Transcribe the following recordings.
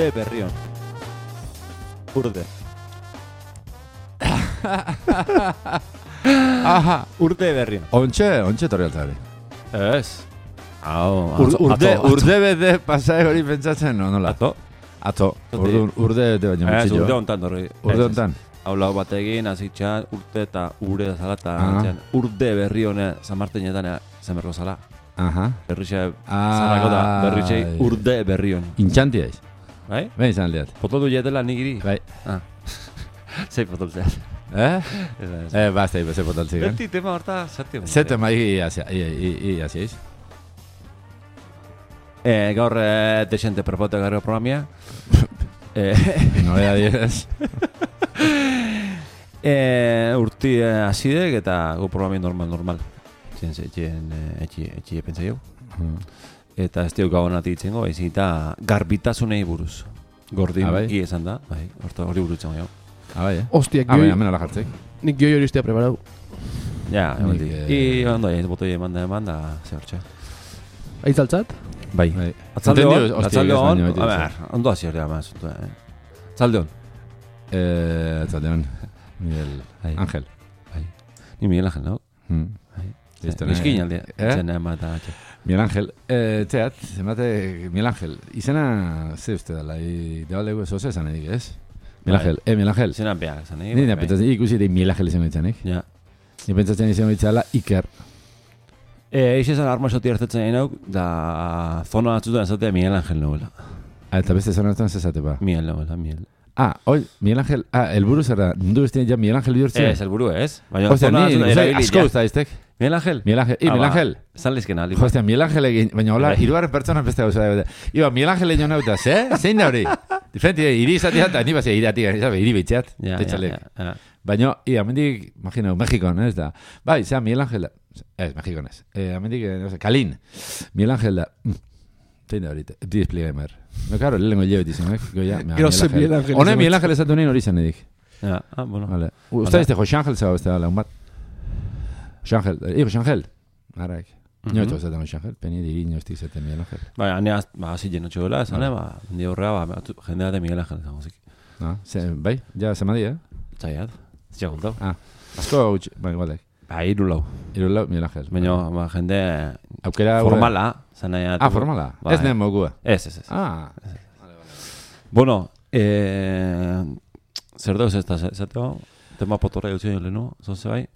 urte berrion. Urde. Aha. Urte berrion. Ontxe torri altzari. Ez. Hau, Urde bede pasai hori pentsatzen, no, nola? Atzo. Urde de baino Ez, mutxillo. urde hontan dorri. Urde hontan. Hau lau batekin, azitxan, urte eta ure zala, eta urde berri hone, Zamartinetan zemerko zala. Aha. Berrixe, zarrako da, berrixe urde berri hon. Intxanti aiz. Bai? Ben izan aldeat. Pototu jetela nik iri? Bai. Zei potoltzeat. Basta, ze potoltzik. Beti tema horta, zati. Zete mai aziaiz. Gaur desente perpote garro programia. Nobea diez. Urti azidek eta gu programia normal. Etxie pentsa jau. Eta ez diok gabonati itzengo, ezin eta garbitasunei buruz. Gordin, hi esan da, hori burutzen jau. Bai, Hostia, hemen ala jartzik. Nik goi hori ustea preparau. Ja, emaldi. I ondo ez botoi eman da, ze hortxe. Aitzaltzat? Bai. Atzalde hon, a ber, ondo hazi hori ama zuntu, Atzalde hon. Miguel Ángel. Ni Miguel Ángel, no? Eskin alde, zena emata. Miguel Ángel, teat, zemate Miguel Ángel, izena ze uste dala, debalegu ez oso esan edik, ez? Miguel Ángel. Zenan behar esan edik. Nina pentsatzen ikusi ere Miguel Ángel izango ditzanik. Ja. Ni pentsatzen izango ditzala Iker. Eixe esan arma esoti hartetzen egin hauk, da zona batzutan esatea Miguel Ángel nuela. Eta beste zona hartan zezate ba? Miguel nuela, Miguel. Miguel Ángel, elburu zer da, mundu bestien ja Miguel Ángel bihurtzea? Ez, elburu ez. Hostia, ni asko usta iztek. Miguel Ángel? Miguel Ángel. Zan lizken aldi. Hostia, Miguel Ángel egin, baina hola, irugarren pertsona beste gauza da. Iba, Miguel Ángel egin hona utaz, zein da hori? Diferenti, iri izatea eta ni bazia iriatik, iri bitxeat, tetxalek. Baina, amendik, imaginau, Mexikon, ez da. Bai, zera, Miguel Ángel da. Ez, Mexikon ez. Amendik, no sé, Kalin. Miguel Ángel da. Zein da hori, despliegamer. No, claro, lehenko llevet izan, Miguel Ángel. Hone Miguel Ángel ezatu nien hori izan edik. Bueno. Usta izte, José Ángel zaba beste da, bat. José Ángel. Araik. No esto zaten José Ángel, peni diri inoiztik zaten Miguel Ángel. Bai, hane hazi jenotxo gela, esan, di horrea, jendea de Miguel Ángel izan gozik. Bai, ja, zemadi, Zaiat, ziaguntau. Asko, bai, igualek. Irulau, Miguel Ángel. Baina, jende aukera formala, zanaiat. Formala? Ez nehen mogua. Ez. Bueno, zer dauz ez da, zateo, tema potorra jutzen jole, no? Zonze bai?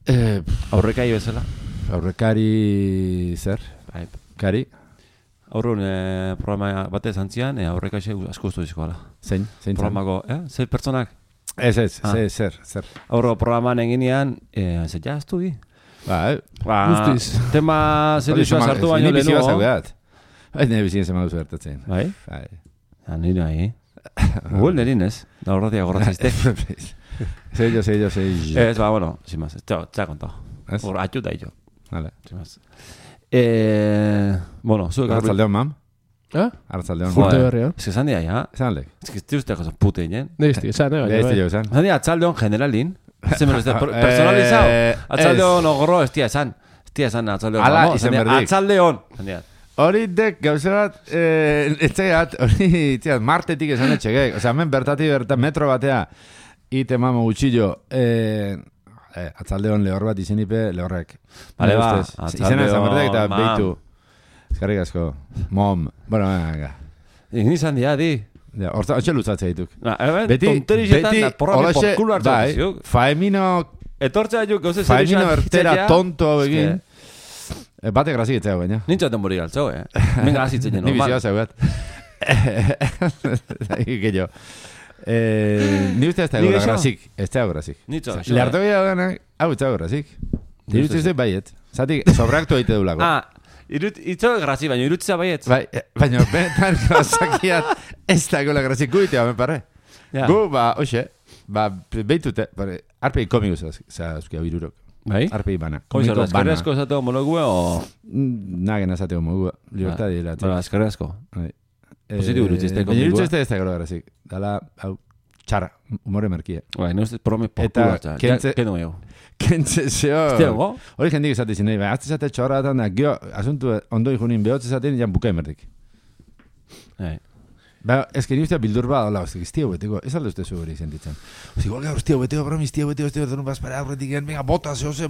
Aurrekai bezala. Aurrekari zer? Kari? Aurrun programa batez antzian, aurrekai asko ustu dizkoala. Zein? Programako, zer pertsonak? Ez, zer. Aurro programan eginean, zer jaztu di? Guztiz. Tema zer dizua sartu baino lehenu. Ni bizi bazaugat. Nire bizien zema duzu bertatzen. Bai? Nire nahi. Gugol nerin ez, da horretia gorratziztek. Sei. Ez, bueno, sin más, txea kontau. Hor, atxuta jo. Vale. Sin más. Bueno, zuek Arratzaldeon, mam? Arratzaldeon. Urte berria. Ez que esan dia, ja? Esan aldek. Ez que ez uste gozan pute inen. Neizti, esan, esan. Esan dia, atzaldeon generalin. Zemen ez da, personalizao. Atzaldeon ogro, ez dia esan. Ez dia esan atzaldeon. Ala, izen berdik. Atzaldeon. Hori dek, gauze bat, etxegat, hori, martetik esan etxegek. Osea, hemen bertatik metro batea, ite mamo gutxillo, atzaldeon lehor bat izenipe, lehorrek. Bale ba, izena esan bertek eta behitu. Eskarrik asko. Mom. Bueno, venga. Nizan dia, di. Hortxe lutzatzea dituk. Tonterixetan, porrame porkulo hartzak zizuk. Faemino... Etortzea juk, gauze zer Faemino ertera tonto egin. Bate grazik etzea baina. Nintzaten morir altzau, Men grazitzen normal. Ni bizioa zaugat. Gehiago. Ni uste ez da egora grazik. Ez da egora grazik. Lehartu gira ganak, hau ez da egora grazik. Irutze ez baiet. Zatik, sobraktu egite dulako. Itzo grazik, baina irutzea baiet. Baina, benetan gazakiat ez da egola grazik guitea, me pare. Gu, oxe, behitute, arpegi komiku zazkia birurok. Bai? Arpegi bana. Komiko bana. Eskerrezko esateko monogue o... Nagen esateko monogue. Libertad dira. Eskerrezko. Positibo irutzizte komikoa. Baina irutzizte ez da gero grazik. Dala, hau, txarra, humore merkie. Bai, no ez prome porkula hartza. Keno ego. Kentze zeo... Estego? Hori jendik esate zinei, bai, azte zate txorra eta gio, asuntu ondo ikunin behotze zaten, jan bukai merdik. Ba, ez que ni ustea bildur ba, hola, ez tío beteko, ez aldo uste zu hori sentitzen. Osi, igual gaur, tío beteko, bromis, tío beteko, para aurretik gen, venga, bota, zehose.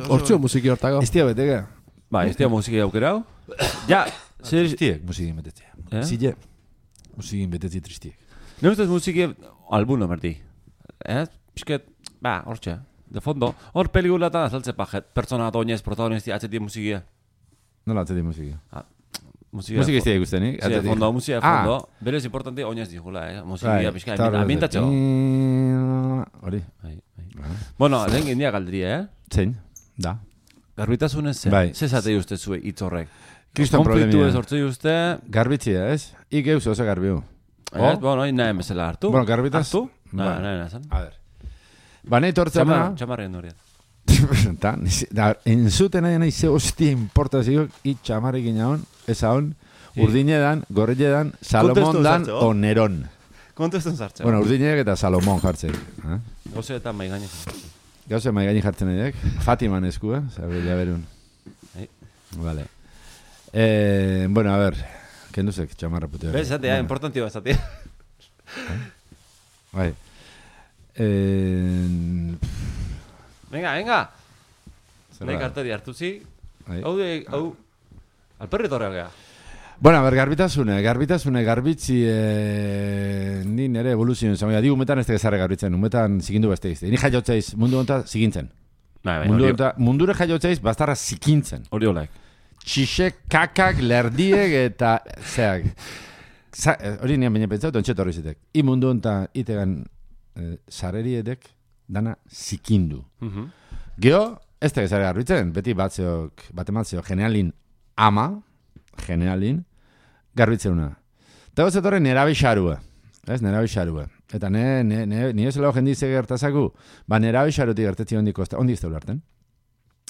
Hortzio musiki hortako. Ez tío beteko. Ba, ez tío musiki aukerau. Ja, zer... Tristiek, musikin betetzea. Zile, musikin betetzi tristiek. Ne ustez musiki albuno merdi. Pisket, ba, hortxe. De fondo, hor pelikulatan azaltze pajet, pertsona oinez, protagonisti, atzeti musikia. Nola atzeti musikia? Musika ez dira ikustenik? Sí, de fondo, musika de fondo. Berez importante oinez dijula, Musika, pisket, ambientatxo. Hori. Bueno, lehen gendia galdria, Zein, da. Garbitasunez zen, zezatei uste zue hitzorrek. Kriston problemia. Konfliktu ez hortzei uste... Garbitzia, ez? Ik eus oso garbiu. Bueno, nahi emezela hartu. Bueno, garbitaz... Hartu? Nahi zen. A ver. Ba, nahi tortzen da... Txamarrien horiet. Enzuten nahi ze hostia importazio itxamarrik inaon, eza hon, Urdine dan, Gorrille dan, Salomon dan, o Neron. Kontestun zartzen. Bueno, Urdinek eta Salomon jartzen. Gauze eta maigaini jartzen. Gauze maigaini jartzen nahiak. Fatiman esku, Zabila berun. Vale. Bueno, a ver. Kenduzek, txamarra puteo. Bez, zatea, importantio bat, zatea. Bai. Venga. Nahi karteri hartuzi. Hau, alperri torreak gea. Bueno, a ver, garbitasune, garbitzi ni nere evoluzioen zamoia. Digu, umetan ez tegezarre garbitzen, umetan zikindu beste izte. Ni jaiotzeiz, mundu honetan zikintzen. Mundure jaiotzeiz, bastarra zikintzen. Hori olaik. Txixek, kakak, lerdiek eta zeak. Hori nian baina pentsatu, ontset horri zitek. I mundu honetan itegan sareriedek dana zikindu. Geo, ez tegezarre garbitzen, beti batematzeok generalin ama, garbitzen una. Eta gozet horre nerabe xarua. Nerabe xarua. Eta ni ez lau jendize gertazaku, ba nerabe xarutik gertetzi ondi izte ularten.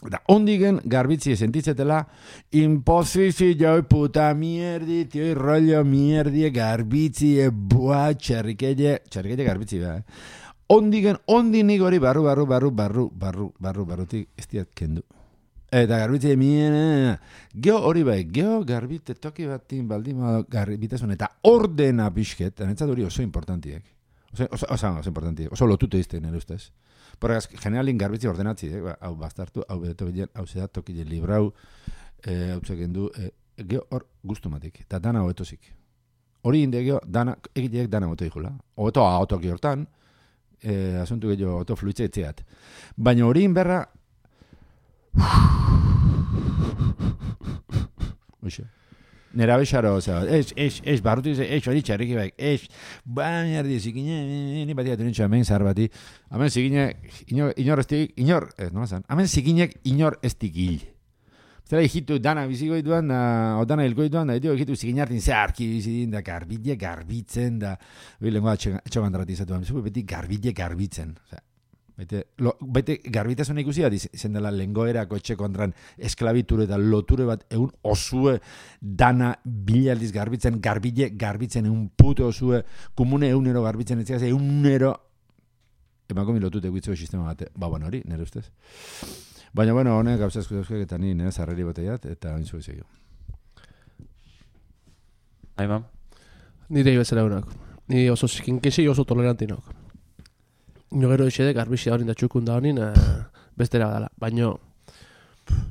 Eta ondigen garbitzi sentitzetela, imposizio, puta mierdi, tio, rollo mierdi, garbitzi, txarrikelle garbitzi da. Ondinik hori barrutik ez diat kendu. Eta garbitze miena, geho hori bai, geho garbite toki batin baldima garbitasun, eta ordena pixket, anetzat hori oso importantiek. Oso importantiek, oso lotute izten, nire ustez. Porregaz, generalin garbitze ordenatzi, hau bastartu, hau bedeto bilen, hau zedat tokile librau, hau zekendu, geho hor guztumatik, eta dana hoetozik. Hori inde geho, egileek dana hoeto ikula. Hoeto ahotoki hortan, asuntu geho hoeto fluitze etzeat. Baina hori inberra, Oixe. Nera bexaro, barrutu dize, hori txarriki baik, mierdi, zikine, ni batia tunintxo, hemen zahar bati, hemen zikine, inor estik, hemen zikinek inor estik hil. Zera hitu dana bizikoit duan, o dana hilkoit duan, da hitu zikinartin zeharki bizidin, da garbide garbitzen, da, lengoa etxogandaratizatu, beti garbide garbitzen, Bete garbitasun ikusi bat izan dela lengoerako etxe kontran esklabiture eta loture bat egun osue dana bilaldiz garbitzen, garbitzen egun puto osue, komune egunero garbitzen etxeaz, egunero emako milotute guitzeko sistema bat, bueno hori, nire ustez. Baina, honek gauzazko dauzkak eta ni nire zarreri bateiat eta hain zuen zegio. Aimam? Nire ibezera unak. Ni oso zikinkesi oso tolerantinok. Nio gero isede garbizia horin da txukun da honin bestera badala. Baina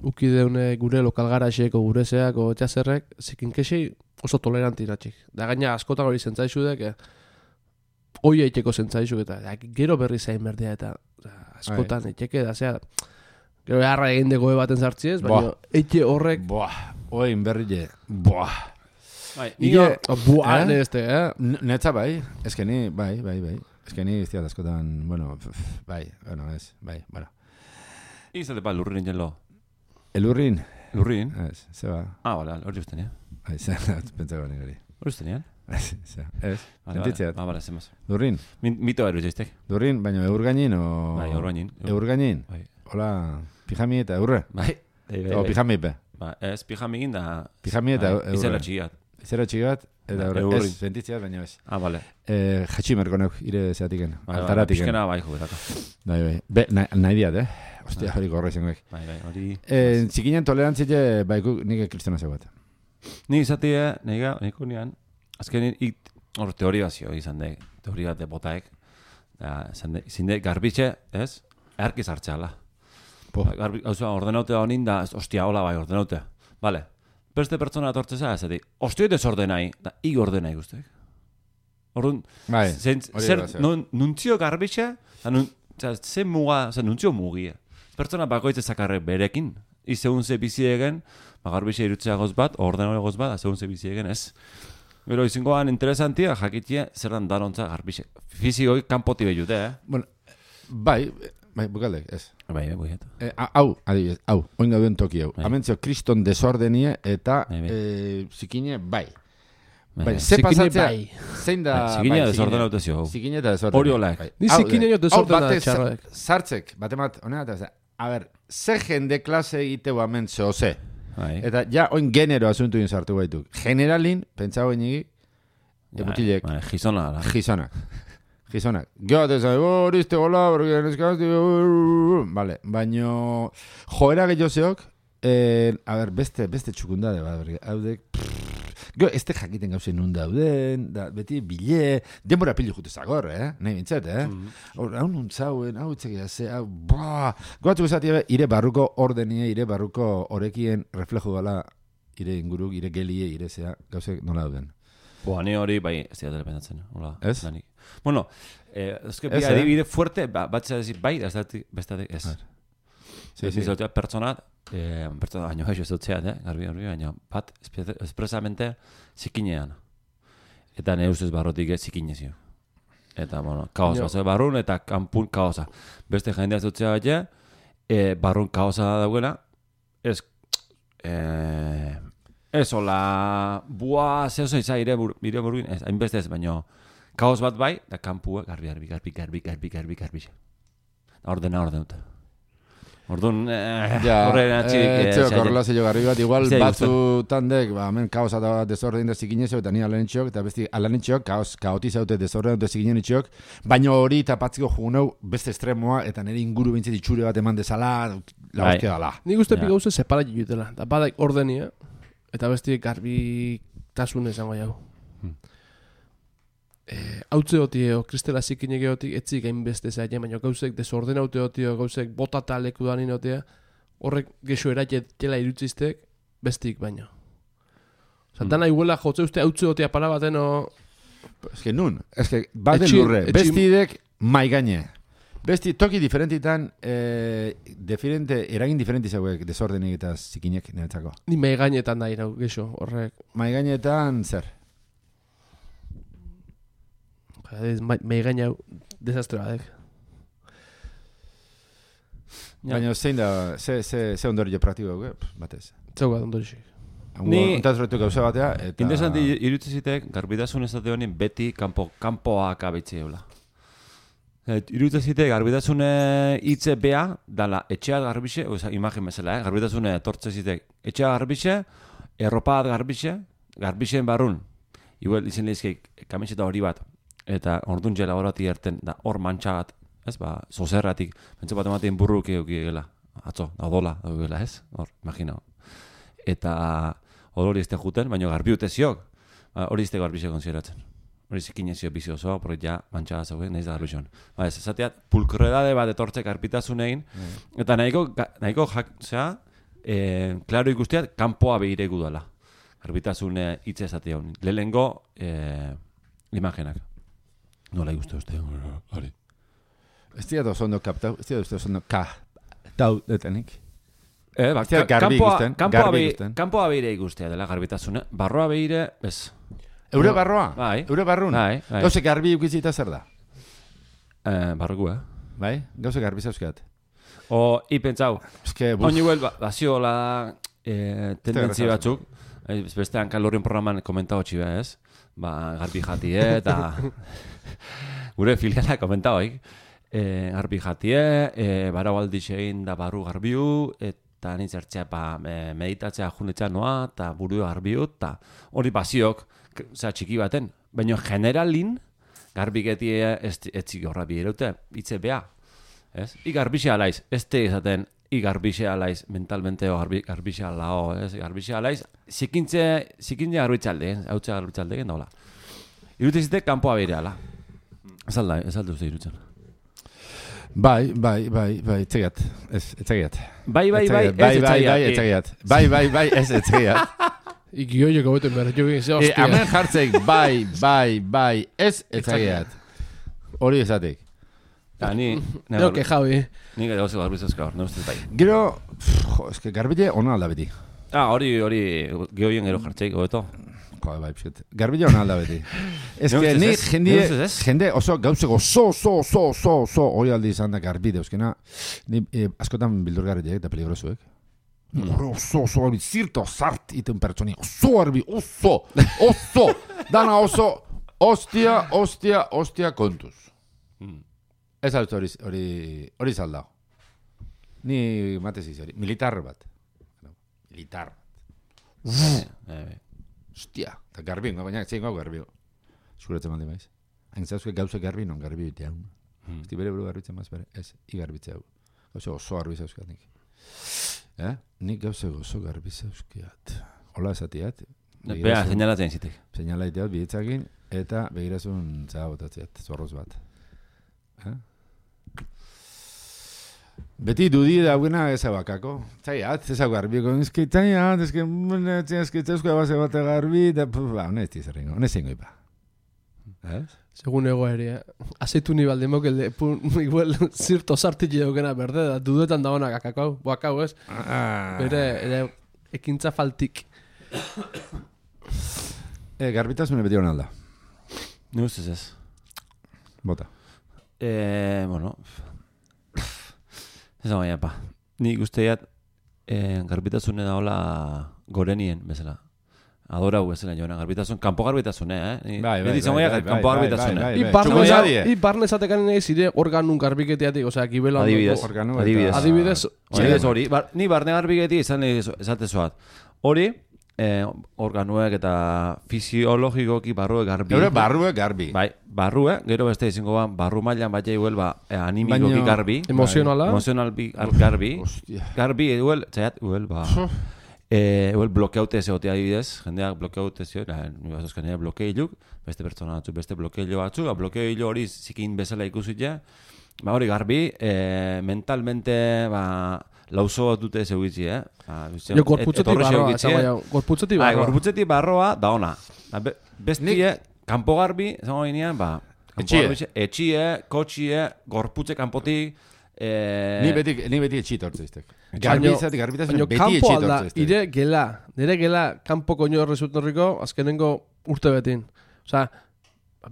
ukideune gure lokal garaxeko gurezeak o txazerrek zikinkesi oso toleranti natxik. Da gaina askotan hori zentzaizudek hoi eiteko zentzaizuk eta gero berri zain berdea eta askotan eiteke da zea gero beharra egin degoe baten zartziez, baina eite horrek oin berri Netza bai, ezkeni, bai. Ezkeni iztiat askotan, bueno. Izate pa lurrin jelo. Elurrin? Lurrin? Ez, zeba. Bale, hori usten, Pentsako nik hori. Hori usten, Ez, sentitzeat. Bale, zemaz. Lurrin? Mito eru zeiztek. Lurrin, baina eurgainin o... Bai, eurgainin. Eurgainin? Hola, pijami eta eurre? Bai. O pijamipe? Ez, pijamigin da... Pijami eta eurre. Izela txigat. Izela txigat, eta ez, sentitzeat, baina ez. Bale. Jatximerko neuk, ire zeatiken, altaratiken. Pixkena bai jubetako. Bai. Nahi diat, Ostia, hori gorra izango ek. Bai, hori... Zikinen tolerantzile, nik kristona zeu bat. Ni izatea, niko nian, azkenin hor teoria bazio izan de, teoria bat botaek, zinde garbitxe, ez? Erkiz hartzeala. Ordenautea honin da, ostia, hola bai, ordenautea. Vale, beste pertsona atortzeza, ez edi, ostia desordenai, da, ordenai guztiak. Orduan, zer, nuntzio garbitxe, zen muga, nuntzio mugia. Pertsona bakoitze zakarre berekin, izeun ze bizi egen, garbitxe irutzea goz bat, ordenau goz bat, zeun ze bizi egen, ez? Gero, izingoan interesantia, jakitia, zer dan darontza garbitxe. Fizikoi kanpoti behute, Bueno, bai, bukaldek, ez. Bai, buiet. Hau, adibidez, oin gauden toki hau. Amentzio, kriston desordenie eta zikine, bai. Bai, ze pasatzea, zein da... Zikine desordenau tezio. Zikine eta desordenau. Hori olaek. Ni zikine jo desordenau txarroek. Sartzek, batemat, honena, a ber, ze jende klase egiteu amentzio, ze. Eta ja, oin genero asuntu sartu baitu. Generalin, pentsau enigi, ebutilek. Gizonak. Gero, hori izte gola, vale, baino, joera gehiozeok, a ber, beste txukundade, haudek, gero, ez te jakiten gauzen nun dauden, beti bile, denbora pili jute zagor, nahi bintzat, hau nuntzauen, hau itzak ze, hau, goatu esatia, ire barruko ordenie, ire barruko orekien reflejo gala, ire inguruk, ire gelie, ire zea, gauzek nola dauden. Ni hori, bai, ez dira telependatzen, hola. Ez? Bueno, ezke bi adibide fuerte, batzea decir, bai, bestatik, ez. Ez izotea pertsonat, baino gaixo ez dutzeat, garbi, baina bat, espresamente zikinean. Eta ne ustez barrotik zikinezio. Eta, bueno, kaos bazo barrun, eta kanpun kaosa. Beste jendea ez dutzea baina, barrun kaosa dauena, ez hola, bua, zehozo izan ire buruin, hainbeste ez, baina kaos bat bai, da kanpua, garbi. Ordenuta. Orduan, horren atxirik... Etzeo korrelazio garbi bat, igual batzutan dek, hemen kaosa da desorden da zikinezio, eta ni alanetxok, eta besti alanetxok, kaotizaute desorden da zikinenetxok, baina hori tapatziko jugunau beste estremoa, eta nire inguru bintzit itxure bat eman dezala, la hostia dala. Nik uste pika gauze separa jutela, eta badak ordenia, eta besti garbi tasun esango jau. Hautze hotio, kristela zikinek egotik, etzik hainbeste zaila, baina gauzek desordenaute hotio, gauzek botata leku da ninotea, horrek gexo eratxetela irutziztek, bestik baina. Dana iguela jotze uste hautze hotia para bateno... Ez que nun, ez que baden lurre, bestidek maigaine. Besti toki diferentitan, eragin diferenti zauek desordenik eta zikinek niretzako. Ni maigainetan da irau, gexo, horrek. Maigainetan zer? Meigaina desastre batek. Baina zein da, ze ondorio praktiko batez? Zeu bat ondorixik. Ni ontazretu gauza batea, eta... Interesanti irutzizitek, garbitasun esate honin beti kanpoak abitzi eula. Irutzizitek, garbitasune hitze bea, dala etxeat garbixe, imagen bezala, garbitasune tortzezitek, etxeat garbixe, erropaat garbixe, garbixen barrun. Igual izan lehizkeik, kamiseta hori bat, eta orduan jela horati erten, da hor mantxagat, ez ba, zozerratik, bentsa bat ematen burruk eukigela, atzo, da odola, eukigela, ez? Hor, imagina. Eta hori izte juten, baina garbi uteziok, hori izte garbixe konsideratzen. Hori zikinezio bizi oso, hori ja mantxagat zauen, nahiz da garbixon. Ba, ez ezateat, pulkredade bat etortzek garpitasunein, eta nahiko zera, klaro ikusteat, kanpoa behiregu dela. Garbitasune hitz ezatea honin. Lehengo, imagenak. Nola ikuste uste, hori. Ez dira da oso kaptau, ez dira da oso kaptau detenik. Kanpoa behire ikustea dela garbitasune. Barroa behire, ez. Eure barroa? Bai. Eure barrun? Bai. Gauze garbi ukizita zer da? Barrugu, Bai? Gauze garbi zauzkat. O, ipentzau. Oin iguel, baziola tendentzi batzuk. Beste hankalorien programan komentau txiba, ez? Garbi jatie, eta gure filiala komentau, garbi jatie, barau aldixein da barru garbiu, eta nintzertzea meditatzea junetzea noa, eta buru garbiu, eta hori baziok, txiki baten. Baina generalin, garbiketie etzik horra biherute, hitze beha. I garbixe alaiz, ez te izaten, i garbixe alaiz, mentalmente garbixe alao, garbixe alaiz, zikintze garbitzalde, hautze garbitzalde, nola. Irute zite kanpoa behireala. Ez alde uste irutzen. Bai, etxegiat. Etxegiat. Bai, ez etxegiat. Ikioiek hobeten behar, jo egin ze hostia. Hemen jartzeik, bai, ez etxegiat. Hori esatek. Nero que Javi. Ni gero oso garbizazka hor, neustez bai. Gero, eske garbile ona alda beti. Hori gehoien gero jartzeik, hobeto. Bai, pixet. Garbile ona alda beti. Eske ni jende oso gauzeko so hori aldi izan da garbide, euskena. Ni askotan bildurgarriak eta peligrosuek. Oso, zirto zart iten pertsoni. Oso arbi, oso. Dana oso, ostia kontuz. Ez altu hori zaldao. Ni matez izi hori. Militar bat. Ostia. Eta garbin, baina zein gau garbio. Zuratzen maldi maiz. Hain zauzke gauze garbi non garbi bitea. Esti bere buru garbitzen maz bere. Ez, igarbitzea hu. Gauze oso garbi zauzkeat nik. Nik gauze oso garbi zauzkeat. Hola esatiat. Bea, seinalatzen zitek. Seinalaiteat bihitzakin eta begirazun botatzeat. Zorroz bat. Beti dudi dagoena ez abakako. Zaiat, ez hau garbiko. Ezke, zaiat, ezke txausko base bat garbi, eta, hone ez tizarrengo, hone zengo ipa. Segun ego ere, azeitu ni baldemok, igual, zirto sartitxe daukena berde, da dudetan dagoena kakakau, boakau, ez? Bere, ekintza faltik. Garbitasune beti hona alda. Ni ustez ez. Bota. Bueno, ez baina, pa. Nik usteat garbitasune da hola gorenien, bezala. Adorau bezala joan, garbitasun, kanpo garbitasune, Bai, kanpo garbitasune. I barne esatekan nahi zire organun garbiketeatik, osea, kibela... Adibidez hori. Ni barne garbiketi izan esatezoat. Hori, organuek eta fisiologikoki barruek garbi. Eure barruek garbi. Bai, barruek, gero beste izango barru mailan bat jaiguel animikoki garbi. Emozionala. Emozional garbi. Garbi, blokeaute zeotea adibidez, jendeak blokeaute zeo, ni bazuzkan blokeiluk, beste pertsona batzuk, beste blokeilo batzuk, blokeilo hori zikin bezala ikusitea, hori garbi, mentalmente, lauzo bat dute zeugitzi, Jo, gorputzetik barroa, gorputzetik barroa. Gorputzetik barroa, da ona. Bestie, kanpo garbi, zango ginean, etxie, kotxie, gorputze kanpotik, Ni beti etxit hortzeiztek. Garbitasun beti etxit hortzeiztek. Nire gela, kanpo koño resultorriko, azkenengo urte betin. Osa,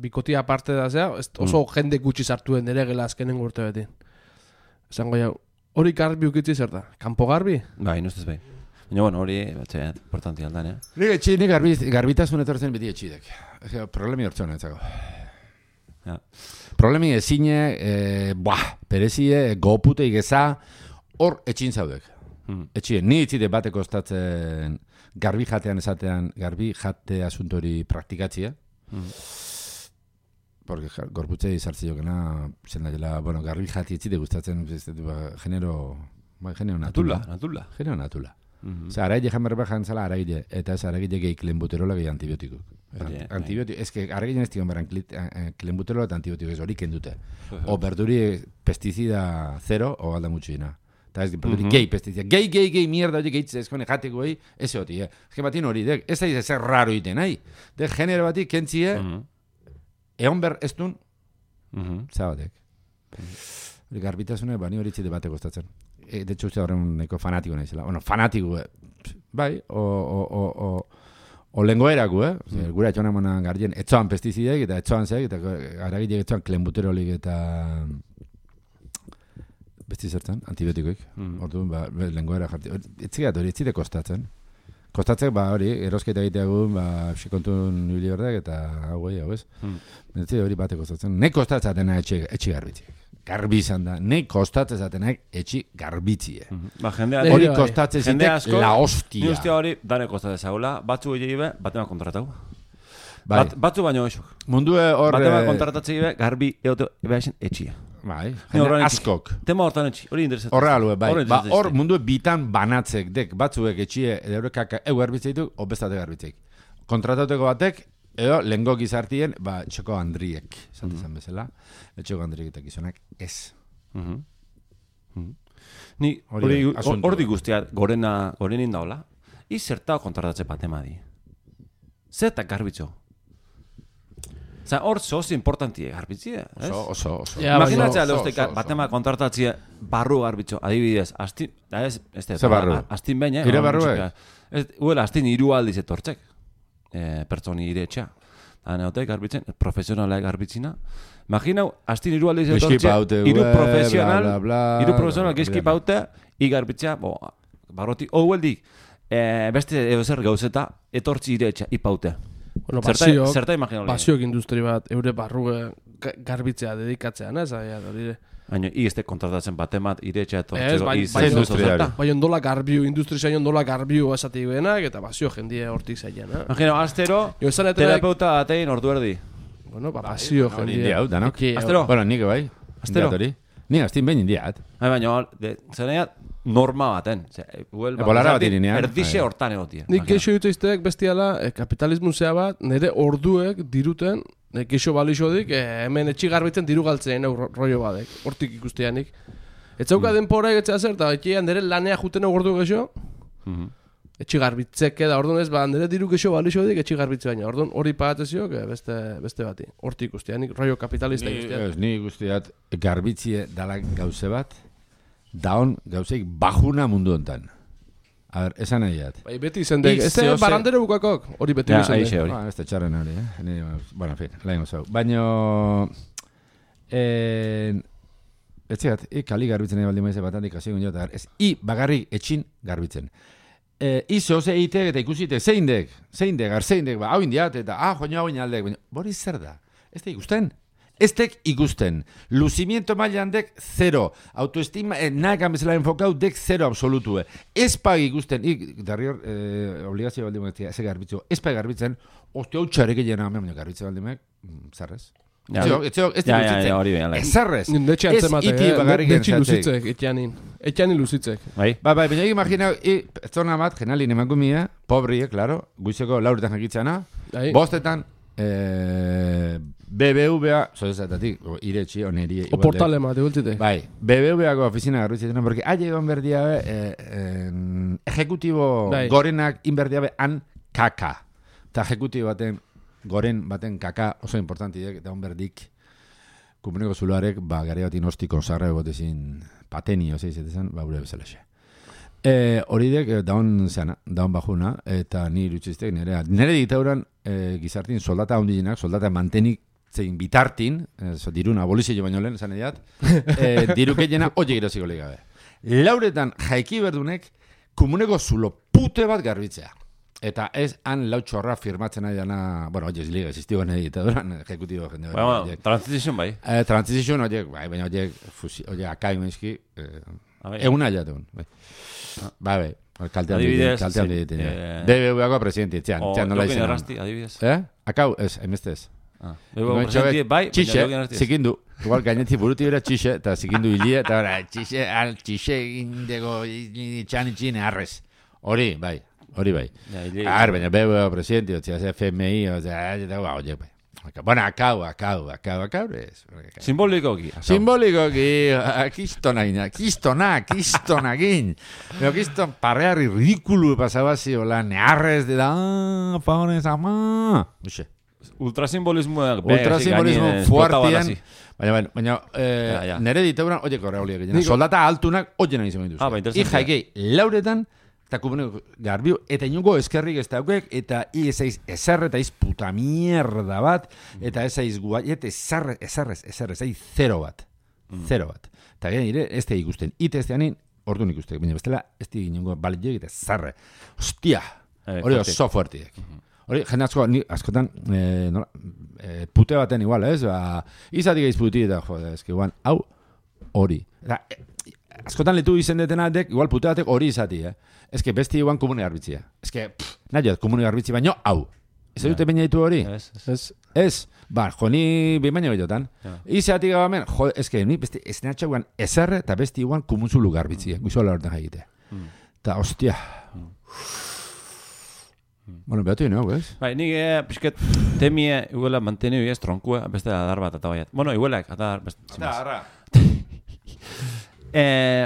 bikotia aparte da zea, oso jende gutxi sartuen nire gela azkenengo urte betin. Esango jau, hori garbi ukitzi zer da? Kanpo garbi? Bai, nustez bai. Baina, bueno, hori, importanti aldan, Nik garbitasun etortzen beti etxitek. Problemi hortzen, etzako. Problemi ezine, perezie, gopute igeza, hor etxin zaudek. Etxien, ni itzide bate kostatzen garbi jatean esatean, garbi jate asuntori praktikatzia. Porque gorputze izartzi jokena, garbi jati itzide gustatzen, genero natula. Genero natula. Osa, araile jamerra bajan zala araile, eta ez araile gehi klenbuterola gehi antibiotikuk. Antibiotik, ez que araile ez digan beran klenbuterola eta antibiotikuk ez hori kendute. O berduri pestizida 0 o alda mutxina. Eta ez berduri gehi pestizida. Gehi mierda hori gehitzez ezkone jateko gehi, ez hori. Ez que batin hori, ez da zer raro iten, nahi. De genero batik kentzie, egon ber ez duen, zabatek. Garbitasune, bani hori txide bate kostatzen. De hecho, usted horren neko fanatiko nahizela. Bueno, fanatiko, bai, o lengoerako, gura etxoan emonan gardien, etxoan pestizidek, eta etxoan zeak, eta aragilek etxoan klenbuterolik eta besti zertzen, antibiotikoik. Orduan, lengoera jarti. Etzigat hori, etzide kostatzen. Kostatzek, hori, erosketa egiteagun, psikontun nubili berdek, eta hau ez? Etzide hori bate kostatzen. Nek kostatzatena etxi garbitziek. Garbi izan da, nek kostatzen zatenak etxi garbitzie. Hori kostatzen zitek la hostia. Ni ustea hori, dane kostatzen zaula, batzu egin ibe, batema kontratau. Batzu baino esuk. Mundue hor... Batema kontratatzen ibe, garbi egote ebaixen etxia. Bai, jende askok. Tema hortan etxi, hori interesatzen. Horre alue, bai. Hor mundue bitan banatzek, dek batzuek etxie, eurek egu garbitzeituk, obestate garbitzeik. Kontratauteko batek, Edo, lehenko gizartien, txoko handriek, izan bezala, txoko handriek eta gizonak, ez. Ni, hori guztia, gorenin daola, izertao kontratatzen batemadi. Zertak garbitzo? Osa, hor zoz importantie garbitzie, ez? Oso. Imaginatzea leuzte batema kontratatzea barru garbitzo, adibidez, astin behin, Ire barru, Uela, astin hiru aldiz etortzek, pertsoni ire etxea. Neotek garbitzen, profesionalak garbitzina. Imaginau, astin hiru aldiz etortzek, hiru profesional gizki paute, igarbitzea, barroti, hueldik, beste zer gauzeta, etortzi ire etxea, ipaute. Bueno, zerta imaginau. Basiok industri bat, eure barruge garbitzea dedikatzean, ez? Baina, izte kontratatzen batemat, ire etxea etortzeko. Baina ondola garbiu, industria ondola garbiu esatik benak, eta basio jendie hortik zailan. Imagino, astero, terapeuta atein ordu erdi. Bueno, basio jendie. Astero? Bueno, nik bai. Astero? Ni astin behin indiat. Baina, zeneat, norma baten. Bolara bat irinean. Erdixe hortan egotia. Nik keixo jutzeizteak bestiala, kapitalismu zea bat, nire orduek diruten, keixo balixodik, hemen etxi garbitzen diru galtzen rollo badek, hortik ikusteanik. Etzauka denpora egetzea zer, eta etxean nire lanea juten ordu geixo, etxi garbitzek da, orduan ez, nire diru keixo balixodik etxi garbitze baina, orduan hori pagateziok beste bati, hortik ikusteanik, rollo kapitalista ikusteanik. Ni ikusteat garbitzie dalak gauze bat, daon gauzeik bajuna mundu hontan. A ver, esan nahiat. Beti izendek, ez da barandere bukakok, hori beti izendek. Ez da txarren hori, Bueno, en fin, lain gozau. Baina, etxegat, kali garbitzen nahi baldi maize batandik hasigun jota, ez bagarrik etxin garbitzen. Izo, eitek eta ikusite, zeindek, hau indiat, eta joan hau inaldek, bori zer da, ez da ikusten. Ez tek ikusten. Lucimiento mailan dek 0. Autoestima, nahekan bezala enfokau dek 0 absolutue. Ez pag ikusten, darrior, obligazio baldi moetia, ez garbitzu, ez pag garbitzen, hostia, hau txarek egin baina garbitzen baldi moek, zarrez. Ez zarrez. Ez iti bagarrik entzatzek. Etxanin luzitzek. Baina imagina, zona bat, genalin emakumia, pobrie, claro, guizeko lauretan jakitzana, bostetan, BBVA, zozetatik, iretxi, oneri... O portalema, degultzitek. Bai, BBVako oficina garbitzen, porque haie egon berdiabe, ejecutibo gorenak inberdiabe han kaka. Eta ejecutibo goren baten kaka oso importantiek, eta onberdik, kumuneko zuloarek, gare batin ostiko zarra egotezin pateni, ozeizetezen, gure bezalaxe. Hori dek, daun bajuna, eta ni irutxiztek, nire ditauran gizartin soldata hondinak, soldata mantenik zein bitartin, dirun abolizio baino lehen, esan ediat, diruke jena oie giroziko legabe. Lauretan jaiki berdunek, komuneko zulo pute bat garbitzea. Eta ez han lautxorra firmatzen nahi dana, bueno, oie, ziliga, existigo nahi ditaduran, ejecutibo jende. Bueno, transition bai. Transition, oie, baina oie, akain meizki, egun aiatun, bai. Bai, kaltean ditu. BBVako presidente, txan nola izan. Adibidez. Akau, ez, emestez. Presidente, bai, txixe, zikindu. Igual gaineti buruti bera txixe, eta zikindu hilia, eta txixe indego txan itxine arrez. Hori, bai. Baina BBVako presidente, FMI, oie, bai. Bueno, akau, ez. Simbolikoki. Kistonakin. Pero kiston parreari ridikulu pasabazi, hola, nearrez de da, favorez, ama. Ultrasimbolismo fuertien. Baina, nere ditauran, oie korre hauliak egin. Soldata altunak, oie nahi izan dituz. Jaikei, lauretan, eta kumuneko garbiu, eta inungo eskerrik ez daukek, eta ez aiz ezarre, eta aiz puta mierda bat, eta ez aiz guaiet, ezarrez, aiz 0 bat. 0 bat. Eta gara nire, ez da ikusten. Ite ez da hanin, orduan ikustek. Baina bestela, ez da inungo baliek, eta zarre. Hostia! Hori oso fuertiek. Hori, jende askotan, pute baten igual, ez? Izatik eiz puti, eta jode, ez que guan, hau, hori. Askotan letu izen detenatek, igual pute batek hori izati, Ez que besti iguan komune garbitzia. Ez que, nahi komune garbitzi, baino, hau. Ez dute baina ditu hori? Ez. Joni, baina behitotan. Izatik gabamen, ez que, besti, ez natxa guan ezarre, eta besti iguan komunzulu garbitzia. Guizola horretan jaigite. Eta, hostia. Bueno, behatu inau, ez? Bai, nik pixket temie iguela manteniu ez tronkue, beste adar bat eta baiat. Bueno, iguelak, adar, beste. Adarra.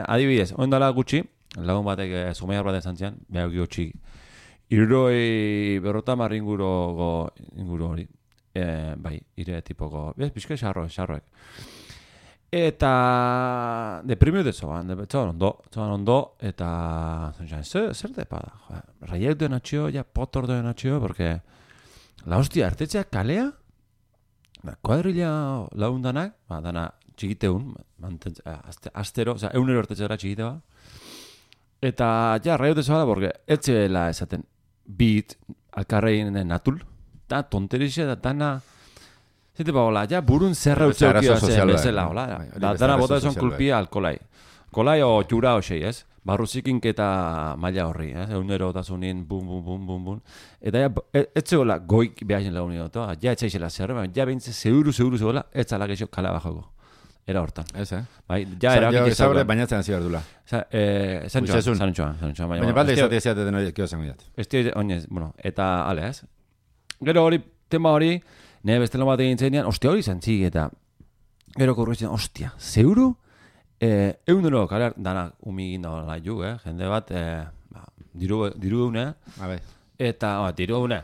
Adibidez, oindala gutxi, lagun batek zumaiar bat esan zian, behar giotxi, 70 inguru hori. Bai, ire tipoko, pixket xarroek. Eta deprimiu dezoan, txoan ondo, eta zer depa da, raiek duen atxio, potor duen atxio, porque la hostia, artetxeak kalea, kuadrilla laundanak, dana txikiteun, astero, oza, 1 artetxera txikite ba, eta raiek dezoa da, porque etxela esaten, bit, alkarrein natul, eta tonterixe, eta dana, zite ba, hola, burun zerra utzeukia zen bezala, hola. Dana bota esan kulpia alkolai. Kolai o jura hoxei, ez? Barruzikink eta maila horri, ez? Egunero otasunin, bum. Eta etxe hola, goik behazen lagunik dut, etxaixela zerre, behintze zeuru zegoela, etzala geixo kala bajoko. Era hortan. Ez, Bai, erabakik ez zaure bainatzen hasi behar dula. Zan txoan. Baina balde izatea ziaten hori kio zango jat. Ez dira, oinez, bueno, eta ale, ez? Gero hori, tema hori, nire bestelo bat egin zenean, ostia hori zantzik eta gero korruitzen, ostia, zeuru? Eundero, kalar, danak umigin dagoela ju, jende bat, diru eune, eta, diru eune,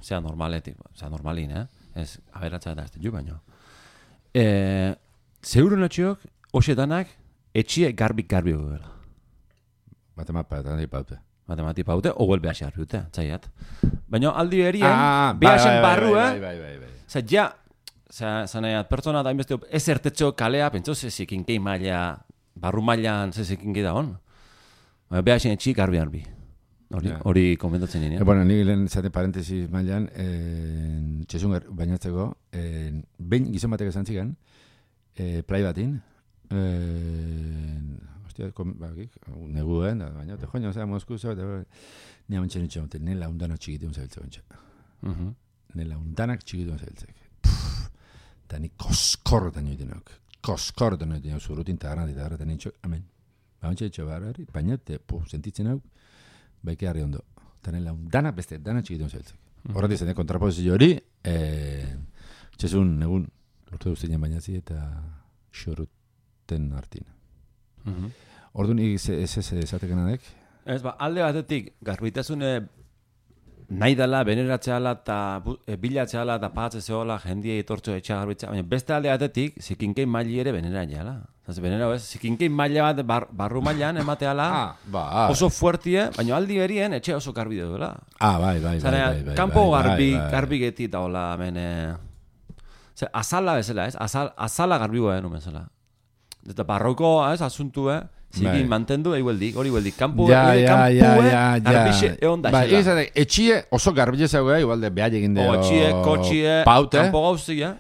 zea normalin, ez, aberatza eta ez ju baino. Zeuru natxiok, hoxe danak, etxie garbi gugela. Matemati paute, oguel behasi garbi dute, txaiat. Baina aldi berien, behasen barru, Zer, zanaiat, pertsona da inbesteo, ez ertetxo kalea, pentso, zezikinkei maila, barru mailan zezikinkei da hon. Behasen etxi garbi. Hori komentatzen nien. Bueno, nik lehen zate parentesis mailan, txesun bainatzeko, behin gizon batek esan zigan, play batin, neguen, baina, te joño, zera, Mosku, ni amentxe nitxo, nela undanak txikitu zabiltzeko entxe. Nela undanak txikitu zabiltzeko. Eta ni koskorretan joiten hau, zurutin eta garraten nitxo, amen. Baina txetxo barri, baina, sentitzen hau, baike harri ondo. Eta nela undanak beste, danak txikitu zabiltzeko. Horretik zen, kontrapozizio hori, txesun, negun, lortu duztenean bainazi eta xoruten hartin. Orduan, ez esateken adek? Ez, alde batetik, garbitasune nahi dela, beneratzeala eta bilatzeala eta pagatzezeola jendia etortzo etxa garbitzea, baina beste alde batetik, zikinkei maili ere beneratzeala. Benera, zikinkei maila bat barru mailan emateala oso fuertie, baina aldi berien etxe oso garbi duela. Bai. Kampo garbi geti eta hola, azala bezala, ez? Azala garbi goa denun bezala. Eta barroko, ez, asuntu, zikin mantendu, hori hueldik. Kampu, garbixe, egon da. Bai, etxie oso garbile zagoa, igualde behar egin deo. Etxie, kotxie, kampo gauzia.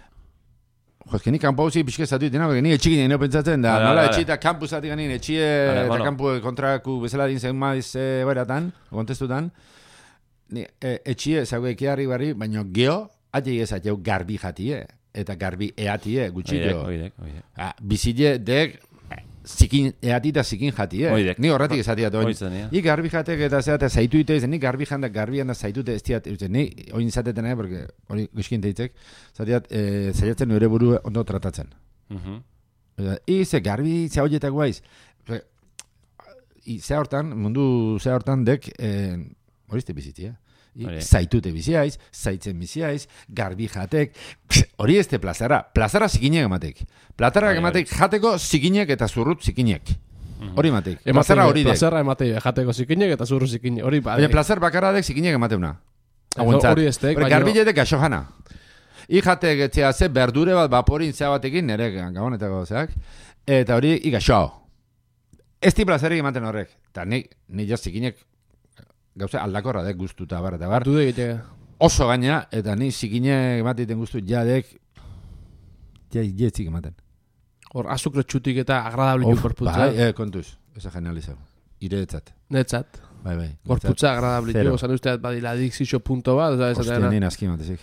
Jo, ez que ni kampo gauzi pixke zatu ditena, porque ni etxikin egin pentsatzen da. Nola etxie eta kampu zati ganin, etxie eta kampu kontraku bezala din zen maiz beratan, kontestutan. Etxie zagoa ekiarri barri, baina geho, atxe egizateu garbi jatie. Eta garbi eatie, gutxillo. Oidek. Bizile dek zikin eati eta zikin jatie. Ni horretik esatia toin. Ni garbi jatek eta zeate zaitu ite, ni garbi janda garbian da zaitute ez diat. Ni oin izateten porque hori guzkin deitzek, zaiatzen nire buru ondo tratatzen. Ze garbi ze hoietak guaiz. Ze hortan, mundu ze hortan dek horizte bizitia. Zaitute biziaiz, zaitzen biziaiz, garbi jatek, hori ez de plazara zikinek ematek. Plazara ematek jateko zikinek eta zurrut zikinek. Hori ematek. Plazara hori dek. Plazara ematek jateko zikinek eta zurrut zikinek. Baina plazar bakarra dek zikinek emateuna. Hori ez dek. Garbiletek gaxo jana. Ijatek etzea ze berdure bat vaporin zea batekin, nire gabonetako zeak, eta hori igaxo. Ez di plazarik ematen horrek. Eta ni jo zikinek gauza aldakorra dek guztu eta bar. Oso gaina, eta ni zikine emateiten guztu jadek jetzik ematen. Hor, azukre txutik eta agradable korputza. Bai, kontuz, eza genializau. Iretzat. Netzat. Bai. Korputza agradable jo, zan usteat badila adikzixo punto bat. Ostia, nien aski matezik.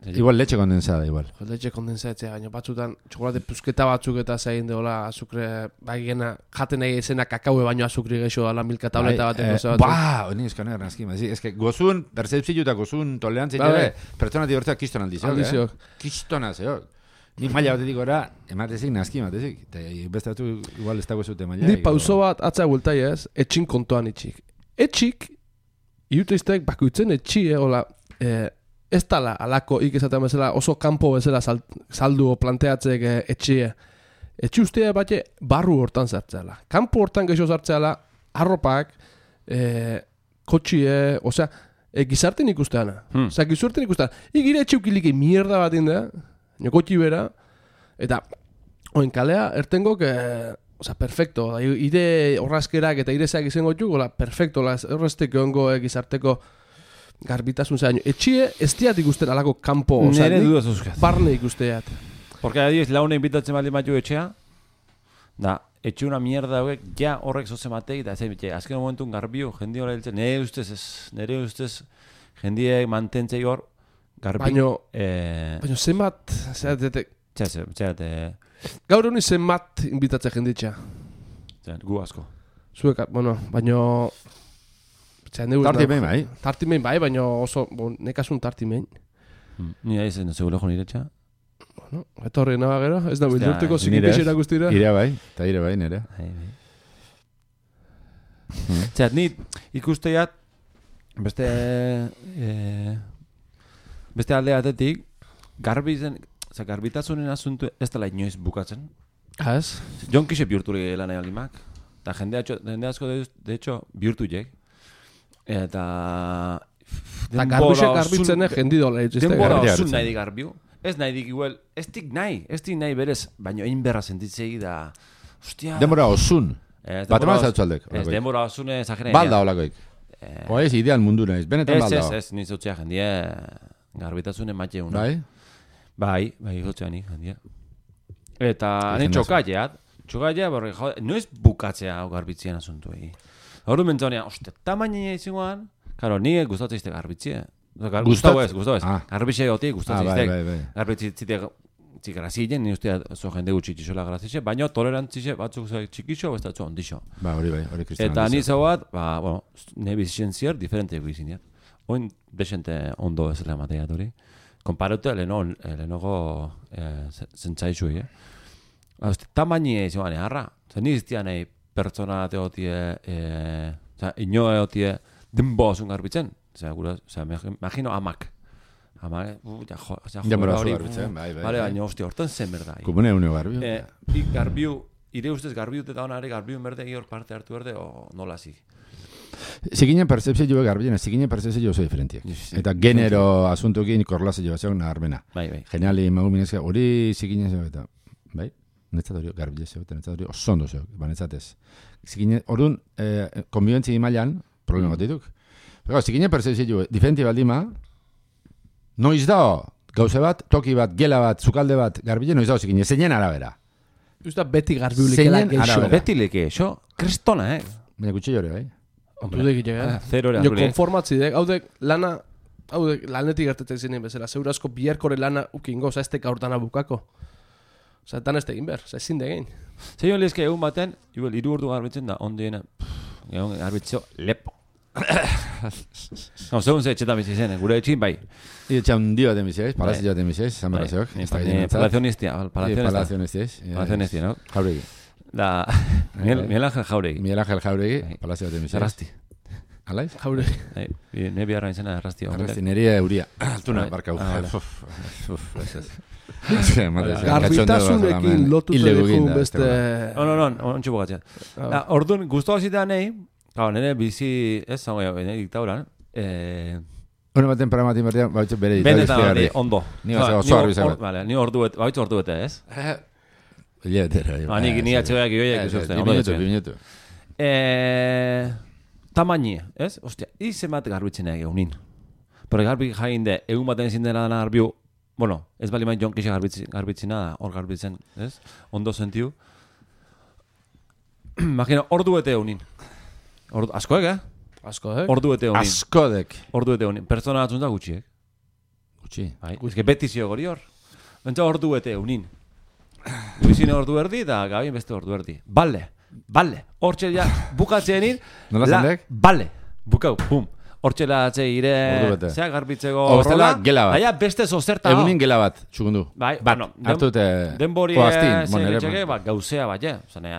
Igual leche kondensada, igual. Leche kondensatzea, baina batzutan txokolate puzketa batzuk eta zain deola azukre, baigena, jaten nahi izena kakaue baino azukri geixo ala milka tableta bateko batzuk. Honi eskane granazkima. Ez que gozun, percepzio eta gozun tolerantzia ere, pertsona dibertzea kiston aldiziok. Kistona zeok. Nik maila batetik gora, ematezik, nazki ematezik. Eta beste batu igual ez dago zute maila. Ni pauso bat atzea bultai ez, etxin kontuan itxik. Etxik, iuteiztek bakuitzen etxi, hola, ez tala alako ikizaten bezala oso kanpo bezala saldu planteatzek etxie. Etxi ustea bate barru hortan zartzeala. Kanpo hortan geixo zartzeala, arropak, kotxie, osea, gizarten ikusteana. Osea, gizarten ikusteana. Igire etxe ukiliki mierda bat indea, kotxi bera, eta oen kalea ertengok, osea, perfecto. Ire horrazkerak eta irezeak izango txuk, hola, perfecto, horrezteko ongo gizarteko garbitasun zaino. Etxie ez diat ikusten alako kanpo, nere dudaz euskaz. Barne ikusteat. Porque adiós, laune invitatzen baldin batu etxea, da, etxe una mierda hauek, ja horrek zoze matei, da, azken momentun garbiu, jendi hori hiltzen, nere ustez, jendiek mantentzei hor, garbi. Baina zenbat, Txate, gaur honi zenbat invitatzen jenditxa. Gu asko. Zuek, bueno, baina... Tartimein bai. Tartimein bai, baina oso, nekasun tartimein. Ni aiz, no seguro jo niretxa. Bueno, eta horri naga gero, ez da bildurteko zikinkexera guztira. Ire bai, eta ire bai, nire. Txat, ni ikusteiat, beste alde batetik, garbitasunen asuntu ez dela inoiz bukatzen. Ez? Jon kixe bihurtu lan egalimak. Eta jende asko, de hecho, bihurtu jek. Eta... garbixek garbitzen jendi dola. Denbora osun nahi dik garbiu. Ez nahi dik igual, ez dik nahi berez, baina egin berra sentitzegi da... Ostia... Denbora osun. Bateman zautzaldek. Ez, denbora osun ezagenean. Balda holakoik. Oez, ideal mundu nahiz. Benetan balda. Ez, nizotzea jendie garbitasunen matxe una. Bai? Bai, gotzean nik jendie. Eta nien txokaileat, borre, noiz bukatzea hau garbitzien asuntuei. Horru mentzonean, tamaina izangoan, karo, nire gustatzea garbitzea. Gustau ez. Garbitzea gotik, gustatzea. Garbitzea grazien, nire ustea zo jende gutxitxola grazitxe, baina tolerantzitxe batzuk txikixo, ez datzu ondixo. Hori kristian. Eta nire zau bat, nire bizitzen zier, diferente bizitzen. Oin, desente ondo ez lehemateat hori. Konparatu lehenogo zentzaizu, tamaina izangoan eharra. Nire iztean nahi, pertsona teotie, inoa eotie, denboa zun garbitzen. Imagino amak. Denbora zu garbitzen, bai. Baina, hostia, hortan zen berda. Kumune uneo garbiu. Garbiu, ire ustez garbiu eta honare, garbiu berde hor parte hartu berde, o nola zi? Zikinen percepzio jo garbien, zikinen percepzio oso diferentiak. Eta genero asuntukin korlazio bat zegoen naharbena. Bai. Geniali, magu minezka, hori zikinen zego eta, bai? Netzat hori garbile zego, netzat hori osondo zego, netzatez. Zikinen, orduan, konbibentzi mailan, problema bat dituk. Zikinen percepzio diferenti baldima, noiz dao, gauze bat, toki bat, gela bat, zukalde bat, garbile, noiz dao zikinen, zeinen arabera. Usta beti garbiulikela geixo. Beti leke, xo, kristona, Baina gutxi jore, bai? Dudek itxega. Zero ere. Jo konformatzi dek, haudek lanetik gertetzen zinen bezala, zeurazko biherkore lana ukingo, oza, ez teka hortana bukako. Oza, tan ez tegin behar, oza, ezin degin. Zeio lezke egun baten, igual, 3 ordu garbitzen da, ondiena, egun garbitzio, lepo. Segun ze etxetan bizi zen, gure etxin, bai. Etxa hundi bat emizioiz, palazio bat emizioiz, San Barrazeok. Palazionistia, no? Jauregi. Da, Miguel Ángel Jauregi. Miguel Ángel Jauregi, palazio bat emizioiz. Arrasti. Alaiz? Jauregi. Ne biharra izena Arrasti. Arrasti, neria euria. Altuna, barka Garbitasunekin lotu zegoen beste... No, ontsu bogatzea. Orduan, guztua zitean nahi, nire bizi, ez zango jau, nire diktauran, Hone baten paramatin batean, baitzu bere benetan ondo. Ni oso harbi zabat. Vale, ni baitzu ordu bete, ez? Iletera. Ni atxegoak ioiak ikusten. Minutu. Tamaini, ez? Ostia, izemat garbitzen egin unin. Porque garbi jain de, egun baten ezin dena dana garbiu, bueno, ez bali main jonkixe garbitzen nada, hor garbitzen, ez? Ondo sentiu. Imagina, ordu bete unin. Askoek, Askoek? Ordu bete unin. Askodek. Ordu bete unin. Pertsona batzun da gutxiek. Gutxi. Eske beti zio gori hor. Bentsa ordu bete unin. Luisine ordu erdi eta Gabin beste ordu erdi. Bale. Hortxe ja bukatzenin. Nola zendek? Bale. Bukau, pum. Hortxela atze ire, zea garbitzeko horrela. Gela bat. Baina beste zozerta. Egunin gela bat, txukundu. Bai, bueno, hartute denbori zegetxeke, gauzea bat, zanea,